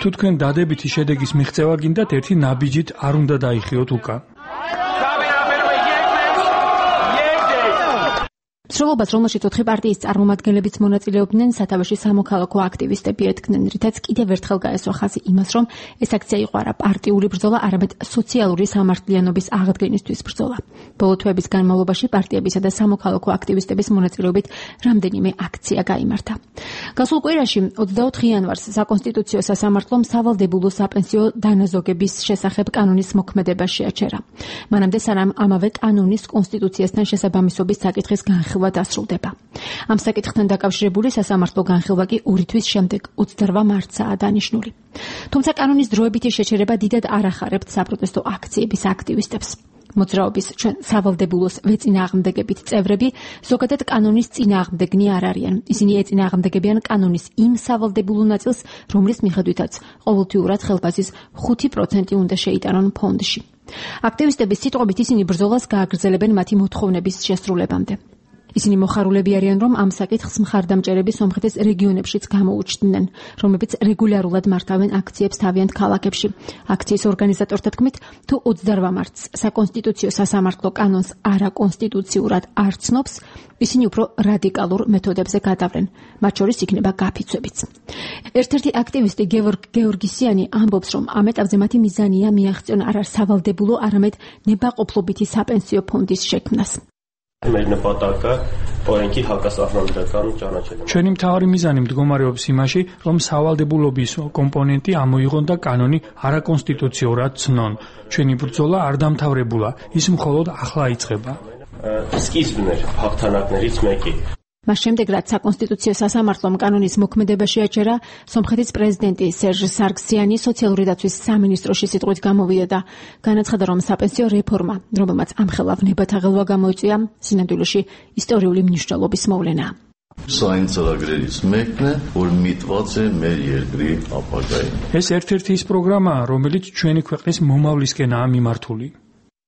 თუ თქვენ დადებითი შედეგის მიღწევა გინდათ, ერთი ნაბიჯით არ უნდა დაიხიოთ უკან. მსვლელობას, რომელშიც ოთხი პარტიის წარმომადგენლებიც მონაწილეობდნენ, სათავეში სამოქალაქო აქტივისტები ედგნენ, რითაც კიდევ ერთხელ გაესვა ხაზი იმას, რომ ეს აქცია იყო არა პარტიული ბრძოლა, არამედ სოციალური სამართლიანობის აღდგენისთვის ბრძოლა. ბოლო თვეების განმავლობაში პარტიებისა და სამოქალაქო აქტივისტების მონაწილეობით რამდენიმე აქცია გაიმართა. გასულ კვირაში ოცდაოთხი იანვარს საკონსტიტუციო სასამართლომ სავალდებულო საპენსიო დანაზოგების შესახებ კანონის მოქმედება შეაჩერა. მანამდე სანამ ამავე კანონის კონსტიტუციასთან შესაბამისობის საკითხის განხილვა დასრულდება. ამ საკითხთან დაკავშირებული სასამართლო განხილვა კი ორი თვის შემდეგ ოცდარვა მარტსაა დანიშნული. თუმცა კანონის დროებითი შეჩერება დიდად არ ახარებთ საპროტესტო აქციების აქტივისტებს. მოძრაობის ჩვენ სავალდებულოს ვეწინააღმდეგებით წევრები ზოგადად კანონის წინააღმდეგნი არ არიან. ისინი ეწინააღმდეგებიან კანონის იმ სავალდებულო ნაწილს, რომლის მიხედვითაც ყოველთვიურად ხელფასის ხუთი პროცენტი უნდა შეიტანონ ფონდში. აქტივისტების სიტყვებით ისინი ბრძოლას გააგრძელებენ მათი მოთხოვნების შესრულებამდე. ისინი მოხარულები არიან, რომ ამ საკითხს მხარდამჭერები სომხეთის რეგიონებშიც გამოუჩნდნენ, რომლებიც რეგულარულად მართავენ აქციებს თავიანთ ქალაქებში. აქციის ორგანიზატორთა თქმით, თუ ოცდარვა მარტს საკონსტიტუციო სასამართლო კანონს არაკონსტიტუციურად არ ცნობს, ისინი უფრო რადიკალურ მეთოდებზე გადავლენ, მათ შორის იქნება გაფიცვებიც. ერთ-ერთი აქტივისტი გეორგ გეორგისიანი ამბობს, რომ ამ ეტაპზე მათი მიზანია მიაღწიონ არა სავალდებულო, არამედ ნებაყოფლობითი საპენსიო ფონდის შექმნას. ჩვენი მთავარი მიზანი მდგომარეობს იმაში, რომ სავალდებულობის კომპონენტი ამოიღონ და კანონი არაკონსტიტუციურად ცნონ. ჩვენი ბრძოლა არ დამთავრებულა, ის მხოლოდ ახლა იწყება. მას შემდეგ, რაც საკონსტიტუციო სასამართლომ კანონის მოქმედება შეაჩერა, სომხეთის პრეზიდენტი სერჟ სარგსიანი სოციალური დაცვის სამინისტროში სიტყვით გამოვიდა და განაცხადა, რომ საპენსიო რეფორმა, რომელმაც ამხელავ ნებათა ღელვა გამოიწვია, სინამდვილეში ისტორიული მნიშვნელობის მოვლენაა. ეს ერთ-ერთი ის პროგრამაა, რომელიც ჩვენი ქვეყნის მომავლისკენაა მიმართული.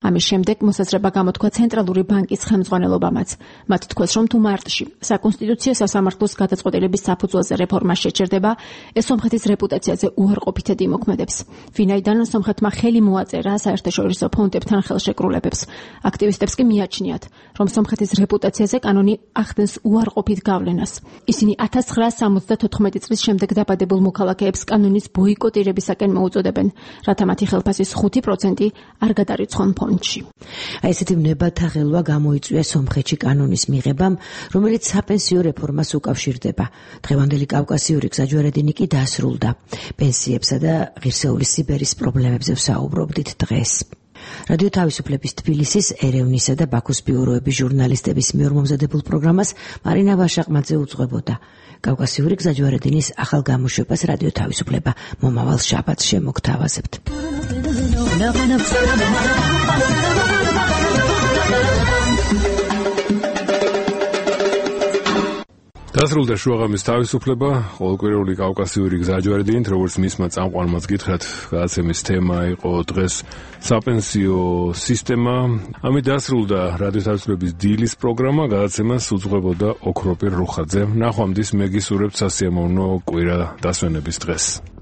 ამის შემდეგ მოსაზრება გამოთქვა ცენტრალური ბანკის ხელმძღვანელობამაც. მათ თქვეს, რომ თუ მარტში საკონსტიტუციო სასამართლოს გადაწყვეტილების საფუძველზე რეფორმა შეჩერდება, ეს სომხეთის რეპუტაციაზე უარყოფითად იმოქმედებს. ვინაიდან სომხეთმა ხელი მოაწერა საერთაშორისო ფონდებთან ხელშეკრულებებს. აქტივისტებს კი მიაჩნიათ, რომ სომხეთის რეპუტაციაზე კანონი ახდენს უარყოფით გავლენას. ისინი ათას ცხრაას სამოცდათოთხმეტი წლის შემდეგ დაბადებულ მოქალაქეებს კანონის ბოიკოტირებისაკენ მოუწოდებენ, რათა მათი ხელფასის ხუთი პროცენტი არ გადარიცხონ ფონდში. აი ესეთი ნებათაღელვა გამოიწვია სომხეთში კანონის მიღებამ, რომელიც საპენსიო რეფორმას უკავშირდება. დღევანდელი კავკასიური გზაჯვარედინი კი დასრულდა. პენსიებსა და ღირსეული სიბერის პრობლემებზე ვსაუბრობდით დღეს. რადიო თავისუფლების თბილისის, ერევნისა და ბაქოს ბიუროების ჟურნალისტების მიერ მომზადებულ პროგრამას მარინა ვაშაყმაძე უძღვებოდა. კავკასიური გზაჯვარედინის ახალ გამოშვებას რადიო თავისუფლება მომავალ შაბათს შემოგთავაზებთ. დასრულდა შუაღამის თავისუფლება, ყოველკვირეული კავკასიური გზაჯვარედინით, როგორც მისმა წამყვანმაც გითხრათ, გადაცემის თემა იყო დღეს საპენსიო სისტემა. ამით დასრულდა რადიო თავისუფლების დილის პროგრამა, გადაცემას უძღვებოდა ოქროპირ რუხაძე. ნახვამდის მეგისურებთ სასიამოვნო კვირა დასვენების დღეს.